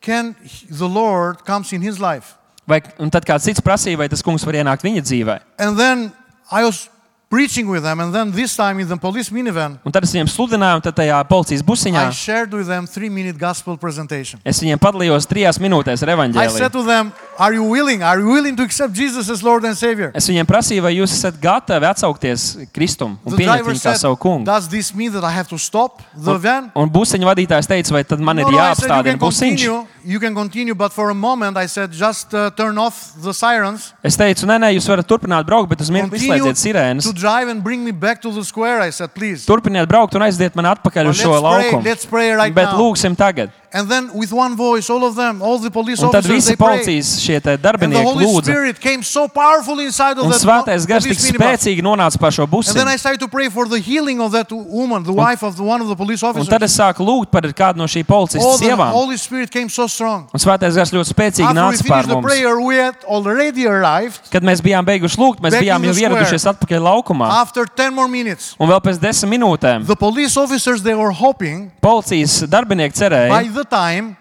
can the Lord comes in his life? Vai, un tad kāds cits prasīja, vai tas kungs var ienākt viņa dzīvē. And then I was preaching with them, and then this time in the police minivan, Un tad es viņiem sludināju, un tad tajā policijas busiņā I shared with them three-minute gospel presentation. es viņiem padalījos trijās minūtēs ar I evaņģēliju. said to them, are you willing? Are you willing to accept Jesus as Lord and Savior? Es viņiem prasīju, vai jūs esat gatavi atsaukties Kristum un The pieņemt driver viņu kā said, savu kungu. does this mean that I have to stop the van? Un busiņu vadītājs teica, vai tad man ir No, no, I said, you jāapstādina can busiņš. continue, you can continue, but for a moment I said, just uh, turn off the sirens, Es teicu, nē, nē, jūs varat turpināt braukt, bet uz mirkli continue izslēdziet sirēnas. to drive and bring me back to the square. I said, please. Turpiniet braukt un aiziet man atpakaļ But uz šo let's pray, laukumu. let's pray right Bet now. lūgsim tagad. And then with one voice, all of them, all the police Un tad officers, visi they prayed. policijas šie te And the darbinieki Holy lūdza. Spirit came so powerfully inside of Un that svētais gars tik police minibus. spēcīgi nonāca par šo And then I busiņu. started to pray for the healing of that woman, the wife of the, one of the police Un officers. tad es sāku lūgt par kādu no šī Oh, policijas the sievām. Holy Spirit came so strong. Un svētais gars ļoti spēcīgi After we nāca pār finished the mums. prayer, we had already arrived. Kad mēs bijām beiguši lūgt, mēs Back bijām in the jau ieradušies atpakaļ laukumā. After ten more minutes, Un vēl pēc desmit minūtēm the police officers, they were hoping policijas darbinieki by cerēja, the time,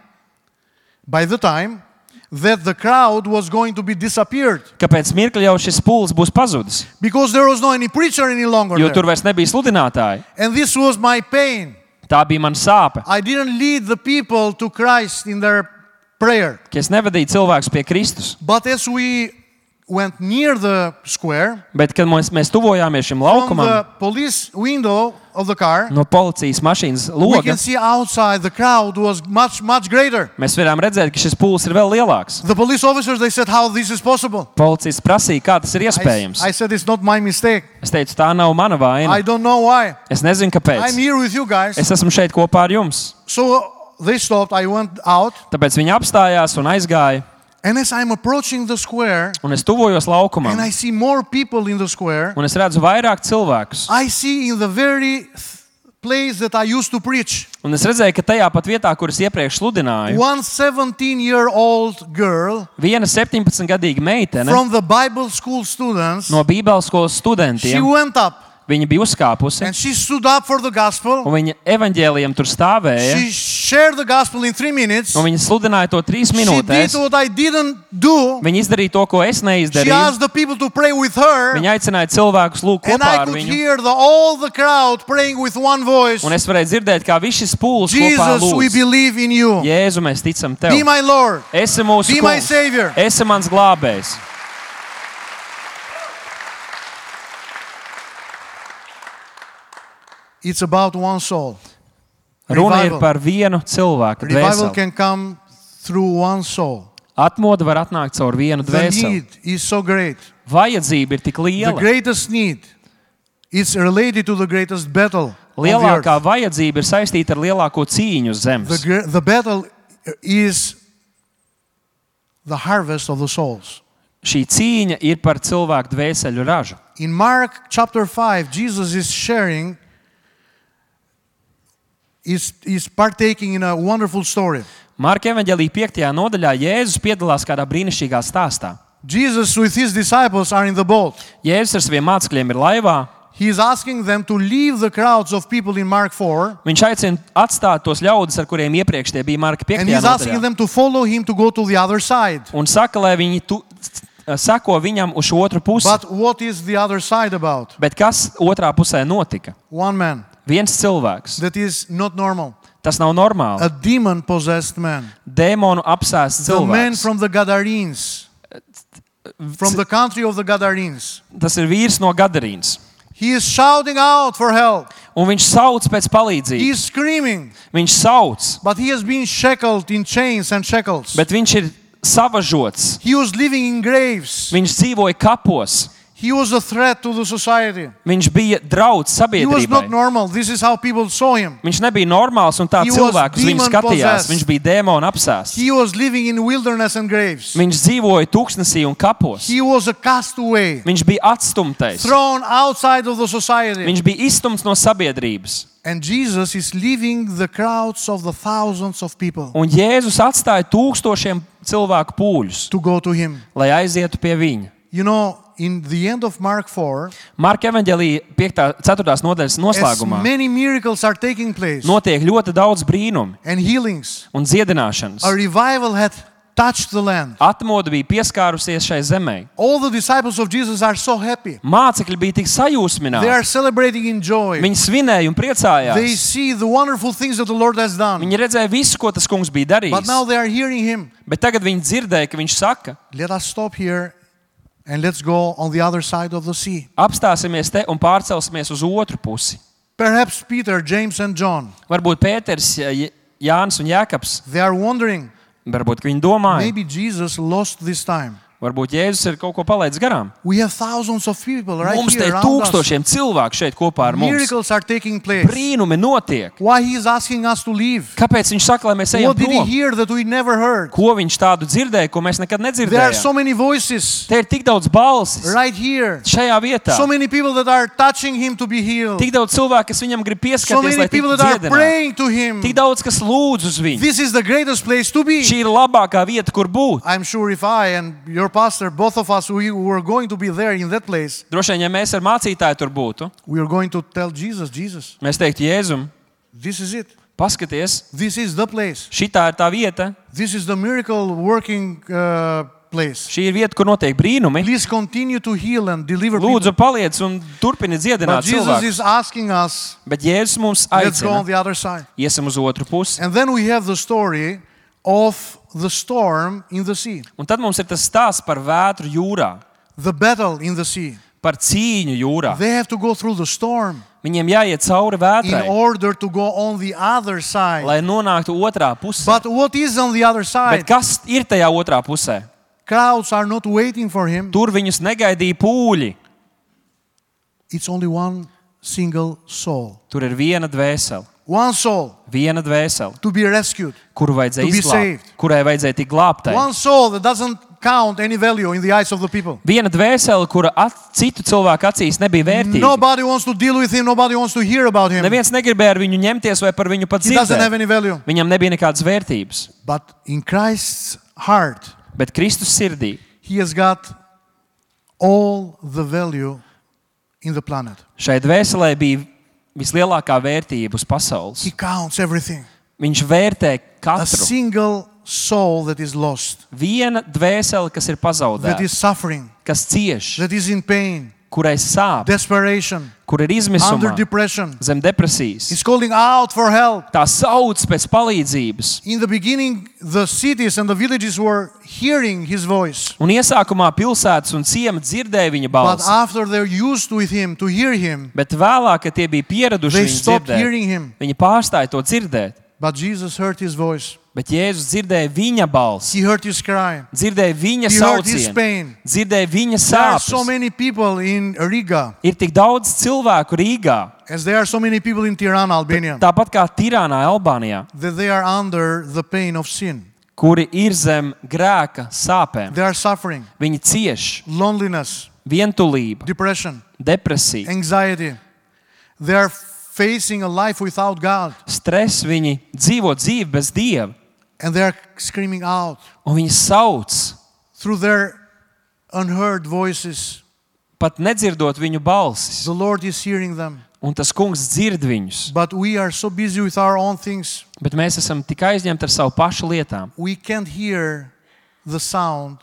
by the time that the crowd was going to be disappeared ka pēc mirkļa jau šis pūlis būs pazudis. because there was no any preacher any longer Jo there. tur vairs nebija sludinātāji. And this was my pain. Tā bija mana sāpe. I didn't lead the people to Christ in their prayer. Ka es nevadīju cilvēkus pie Kristus. But as we went near the square, Bet, kad mēs, mēs tuvojāmies šim from laukumam, the police window of the car, no policijas mašīnas we loga, can see outside the crowd was much, much greater. mēs varējām redzēt, ka šis pūlis ir vēl lielāks. The police officers, they said, how this is possible? Policists prasīja, kā tas ir I, iespējams. I said, it's not my mistake. Es teicu, tā nav mana I vaina. don't know why. Es nezinu, I'm kāpēc. here with you guys. Es esmu šeit kopā ar jums. So they stopped. I went out. Tāpēc viņi apstājās un aizgāja. And as I'm approaching the square, Un es tuvojos laukumam. and I see more people in the square, Un es redzu vairāk cilvēkus. I see in the very th- place that I used to preach, Un es redzēju, ka tajā pat vietā, kur es iepriekš sludināju, one seventeen-year-old girl viena septiņpadsmitgadīga meitene from the Bible school students, no Bībeles skolas she studentiem, went up viņa bija uzkāpusi and she stood up for the gospel. un viņa evaņģēlijam tur stāvēja. She shared the gospel in three minutes. Un viņa sludināja to trīs She did minūtēs. what I didn't do. Viņa izdarīja to, ko es She neizdarīju. asked the people to pray with her. Viņa aicināja cilvēkus lūgt And kopā I ar could viņu. hear the, all the crowd praying with one voice. Un es varēju dzirdēt, kā viss šis pūlis kopā Jesus, we lūdz. believe in you. Jēzu, mēs ticam Be tev. my Lord. Esi mūsu Be my kungs. Savior. Esi mans glābējs. It's about one soul. Runa ir Revival. par vienu cilvēku Revival dvēseli. can come through one soul. Atmoda var atnākt caur vienu The dvēseli. need is so great. Vajadzība ir tik The liela. greatest need is related to the greatest battle of the Lielākā earth. vajadzība ir saistīta ar lielāko cīņu uz The, zemes. gre- the battle is the harvest of the souls. Šī cīņa ir par cilvēku dvēseļu ražu. In Mark chapter five, Jesus is sharing, is, is partaking in a wonderful story. Marka evaņģēlija piektajā nodaļā Jēzus piedalās kādā brīnišķīgā stāstā. Jesus with his disciples are in the boat. Jēzus ar saviem mācekļiem ir laivā. He is asking them to leave the crowds of people in Mark four, Viņš aicina atstāt tos ļaudis, ar kuriem iepriekš tie bija Marka and piektajā he's asking nodaļā. them to follow him to go to the other side. Un saka, lai viņi tu, sako viņam uz šo otru pusi. But what is the other side about? Bet kas otrā pusē notika? One man Viens cilvēks. that is not normal, Tas nav normāli. a demon-possessed man. Dēmonu apsēsts The man cilvēks. from the Gadarenes, from the country of the Gadarenes. Tas ir vīrs no Gadarīnas. He is shouting out for help. Un viņš sauc pēc He palīdzības. is screaming, Viņš sauc, but he has been shackled in chains and shackles. bet viņš ir savažots. He was living in graves. Viņš dzīvoja kapos. He was a threat to the society. Viņš bija draudz He was sabiedrībai. not normal. This is how people saw him. Viņš nebija normāls un tā He cilvēku was uz viņu demon skatījās. possessed. Viņš bija dēmona apsēsts. He was living in wilderness and graves. Viņš dzīvoja tūkstnesī un kapos. He was a castaway, Viņš bija atstumtais. thrown outside of the society. Viņš bija izstumts no sabiedrības. And Jesus is leaving the crowds of the thousands of people Un Jēzus atstāja tūkstošiem cilvēku pūļus, to go to him. lai aizietu pie viņa. You know, in the end of Mark four, Marka evaņģēlija piekta ceturtās nodaļas as noslēgumā many miracles are taking place notiek ļoti daudz brīnumu and healings, un dziedināšanas. a revival had touched the land. Atmoda bija pieskārusies šai zemē. All the disciples of Jesus are so happy. Mācekļi bija tik They sajūsmināti. are celebrating in joy. Viņi svinēja un They priecājās. see the wonderful things that the Lord has done. Viņi redzēja visu, ko tas kungs bija But now darījis. they are hearing him. Bet tagad viņi dzirdēja, ka viņš saka, Let us stop here and let's go on the other side of the sea. apstāsimies te un pārcelsimies uz otru pusi. Perhaps Peter, James, and John, Varbūt Pēters, J- Jānis un Jēkabs, they are wondering, varbūt ka viņi domāja, maybe Jesus lost this time. varbūt Jēzus ir kaut ko palaidis garām. We have thousands of people right Mums te here ir around us. tūkstošiem cilvēku šeit kopā ar mums. Miracles are taking place. Brīnumi notiek. Why he is asking us to leave? Kāpēc viņš saka, lai mēs ejam What did he prom? hear that we never heard? Ko viņš tādu dzirdēja, ko mēs nekad There are so nedzirdējām? many voices Te ir tik daudz balsis right here. šajā vietā. So many people that are touching him to be healed. Tik daudz cilvēku, kas viņam grib So pieskarties, many lai people tiktu that are dziedināti. praying to him. Tik daudz, kas lūdz uz viņu. This is the greatest place to be. Šī ir labākā vieta, kur būt. I'm sure if I and your pastor, both of us, we were going to be there in that place, Droši vien, ja mēs ar mācītāju tur būtu, we are going to tell Jesus, Jesus, mēs teiktu, Jēzum, this is it. paskaties, This is the place. šitā ir tā vieta, This is the miracle working uh, place. šī ir vieta, kur notiek brīnumi. Please continue to heal and deliver people. Lūdzu, paliec un turpini But dziedināt Jesus cilvēkus. is asking us, Bet Jēzus mums let's go on aicina, the other side. iesim uz otru pusi. And then we have the story of the storm in the sea, Un tad mums ir tas stāsts par vētru jūrā, the battle in the sea. par cīņu jūrā. They have to go through the storm Viņiem jāiet cauri in vētrai, order to go on the other side. lai nonāktu otrā pusē. But what is on the other Bet side? kas ir tajā otrā pusē? Crowds are not waiting for him. Tur viņus negaidīja pūļi. It's only one single soul. Tur ir viena dvēsele, One soul viena dvēsele, to be rescued. kuru vajadzēja To be izglābt, saved. kurai vajadzēja tikt glābtai. One soul that doesn't count any value in the eyes of the people. Viena dvēsele, kura at, citu cilvēku acīs nebija vērtīga. Nobody wants to deal with him. Nobody wants to hear about him. Neviens negribēja ar viņu ņemties vai par viņu pat He doesn't have dzirdēt. any value. Viņam nebija nekādas vērtības. But in Christ's heart, Bet Kristus sirdī he has got all the value in the planet. šai dvēselē bija vislielākā vērtība uz pasaules. He counts everything. Viņš vērtē A katru. single soul that is lost, Viena dvēsele, kas ir that pazaudēta, is suffering, kas cieš, that is in pain, kurai sāp, desperation, kur ir under izmisumā, depression. zem depresijas. He's calling out for help. Tā sauc pēc palīdzības. In the beginning, the cities and the villages were hearing his voice. Un iesākumā pilsētas un ciemi dzirdēja viņa But balsi. after they're used with him, to hear him, Bet vēlāk, kad tie bija pieraduši they viņu stopped dzirdēt, hearing him. viņi pārstāja to dzirdēt. But Jesus heard his voice. Bet Jēzus dzirdēja viņa balsi, He heard his cry. dzirdēja viņa He heard his saucienu, pain. dzirdēja viņa There are so sāpes. many people in Riga, Ir tik daudz cilvēku Rīgā, as there are so many people in Tirana, Albania, tāpat kā Tirānā, Albānijā, that they are under the pain of sin. kuri ir zem grēka sāpēm. They are suffering, Viņi cieš loneliness, vientulību, depression, depresiju, anxiety. They are facing a life without God, stresu, viņi dzīvo dzīvi bez Dieva. and they are screaming out Un viņi sauc, through their unheard voices. pat nedzirdot viņu balsis. The Lord is hearing them. Un tas kungs dzird viņus. But we are so busy with our own things, Bet mēs esam tik aizņemti ar savu pašu lietām. we can't hear the sound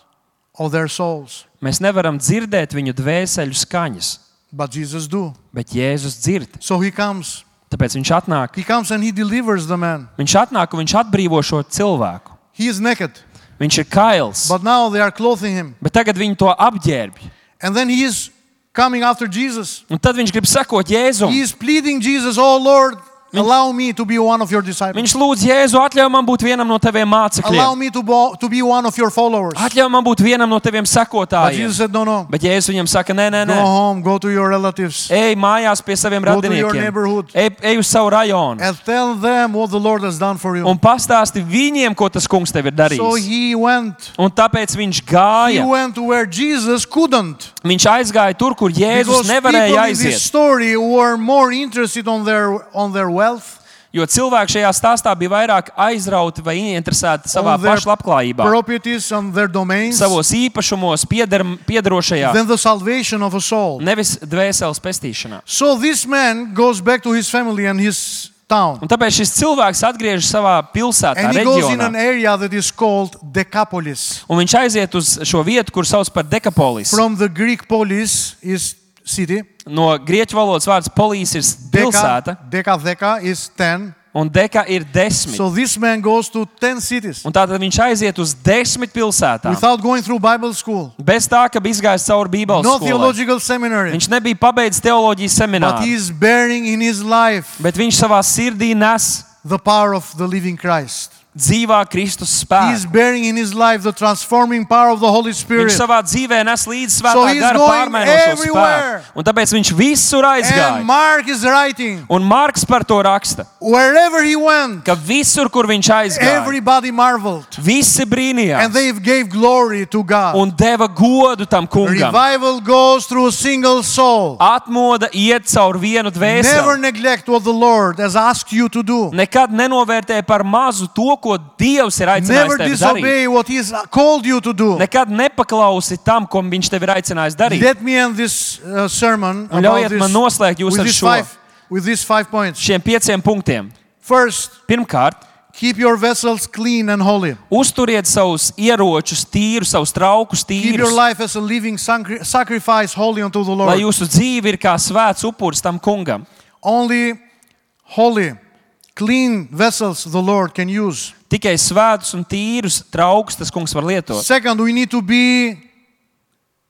of their souls. Mēs nevaram dzirdēt viņu dvēseļu skaņas. But Jesus do. Bet Jēzus dzird. So he comes. Tāpēc viņš atnāk. He comes and he delivers the man. Viņš atnāk un viņš atbrīvo šo cilvēku. He is naked. Viņš ir kails. But now they are clothing him. Bet tagad viņi to apģērbj. And then he is coming after Jesus. Un tad viņš grib sekot He Jēzum. is pleading Jesus, oh Lord, allow me to be one of your disciples. Viņš lūdz Jēzu, atļauj man būt vienam no taviem Allow mācekļiem. me to, bo- to be one of your followers. Atļauj man būt vienam no taviem But sekotājiem. Jesus said, no, no. Bet Jēzus viņam saka, nē, nē, Go nē. home, go to your relatives, Ej mājās pie saviem Go to your radiniekiem. neighborhood. Ej, ej uz savu rajonu. and tell them what the Lord has done for you. Un pastāsti viņiem, ko tas kungs tev ir So darījis. he went. Un tāpēc viņš He gāja. went to where Jesus couldn't. Viņš aizgāja tur, kur Jēzus Because people nevarēja in this aiziet. story were more interested on their on their wealth, Jo cilvēki šajā stāstā bija vairāk aizrauti vai ieinteresēti savā on their pašu labklājībā, properties, on their domains, savos īpašumos, pieder, piedarošajā, than the salvation of a soul. nevis dvēseles pestīšanā. So this man goes back to his family and his town. Un tāpēc šis cilvēks atgriežas savā pilsētā, And he goes in an reģionā. area that is called Decapolis. Un viņš aiziet uz šo vietu, kur sauc par Dekapolis. From the Greek polis is city. No grieķu valodas vārds polīs ir pilsēta, Deca, deca, deca is ten. un deka ir desmit. So this man goes to ten cities Un tātad viņš aiziet uz desmit pilsētām. without going through Bible school. Bez tā, ka bija izgājis cauri Bībeles No skolai. theological seminary. Viņš nebija pabeidzis teoloģijas But semināru, he is bearing in his life bet viņš savā sirdī nes the power of the living Christ. dzīvā Kristus He is spēku. bearing in his life the transforming power of the Holy Viņš Spirit. savā dzīvē nes līdzi So svētā he's gara going pārmainošo everywhere. spēku. Un tāpēc viņš visur And aizgāja. Mark is writing, Un Marks par to raksta, wherever he went, ka visur, kur viņš aizgāja, everybody marveled. visi And brīnījās they gave glory to God. un deva godu tam kungam. Revival goes through a single soul. Atmoda iet caur vienu Never dvēseli. neglect what the Lord has asked you to do. Nekad nenovērtē par mazu to, ko Dievs ir aicinājis Never tevi darīt. disobey what He has called you to do. Nekad nepaklausi tam, ko viņš tev ir aicinājis darīt. Let me end this uh, sermon Un about ļaujiet this, man noslēgt jūs with, ar these šo. five, with these five points. Šiem pieciem punktiem. First, Pirmkārt, keep your vessels clean and holy. uzturiet savus ieročus tīrus, savus traukus Keep your tīrus, life as a living sacri- sacrifice holy unto the lai Lord. jūsu dzīve ir kā svēts upuris tam kungam. Only holy, clean vessels the Lord can use. Tikai svētus un tīrus traukus tas kungs var lietot. Second, we need to be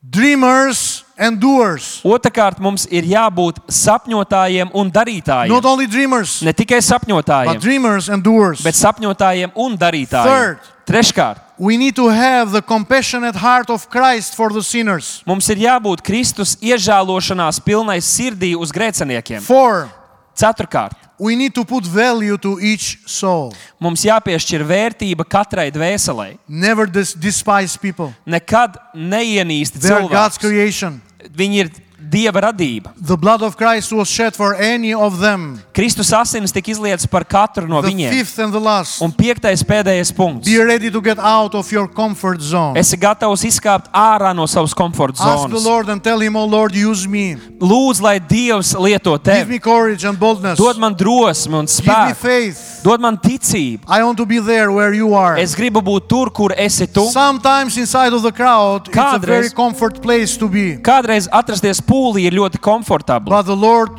dreamers and doers. Otrakārt, mums ir jābūt sapņotājiem un darītājiem. Not only dreamers, Ne tikai but sapņotājiem, dreamers and doers. bet sapņotājiem un darītājiem. Third. Treškārt, We need to have the compassionate heart of Christ for the sinners. mums ir jābūt Kristus iežēlošanās pilnai sirdī uz grēciniekiem. Four, Ceturkārt, we need to put value to each soul. mums jāpiešķir vērtība katrai dvēselei. Never dis- despise people. Nekad neienīst They are God's cilvēkus. creation. Viņi ir Dieva radība. The blood of Christ was shed for any of them. Kristus asinis tika izlietas par katru no The viņiem. fifth and the last. Un piektais pēdējais punkts. Be ready to get out of your comfort zone. Esi gatavs izkāpt ārā no savas komforta Ask the zonas. Lord and tell Him, oh Lord, use me. Lūdzu, lai Dievs lieto Give tevi. me courage and boldness. Dod man drosmi un Give me spēku. faith. Dod man ticību. I want to be there where you are. Es gribu būt tur, kur esi tu. Sometimes inside of the crowd, it's a Kādreiz- very comfort place to be. Kādreiz atrasties pūlī ir ļoti komfortabli. But the Lord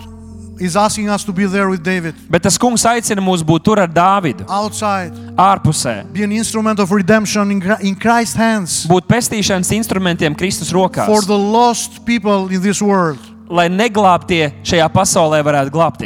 is asking us to be there with David. Bet tas kungs aicina mūs būt tur ar Dāvidu. Outside. Ārpusē. Be an instrument of redemption in Gra- in Christ's hands. Būt pestīšanas instrumentiem Kristus rokās. For the lost people in this world. Lai neglābtie šajā pasaulē varētu glābties.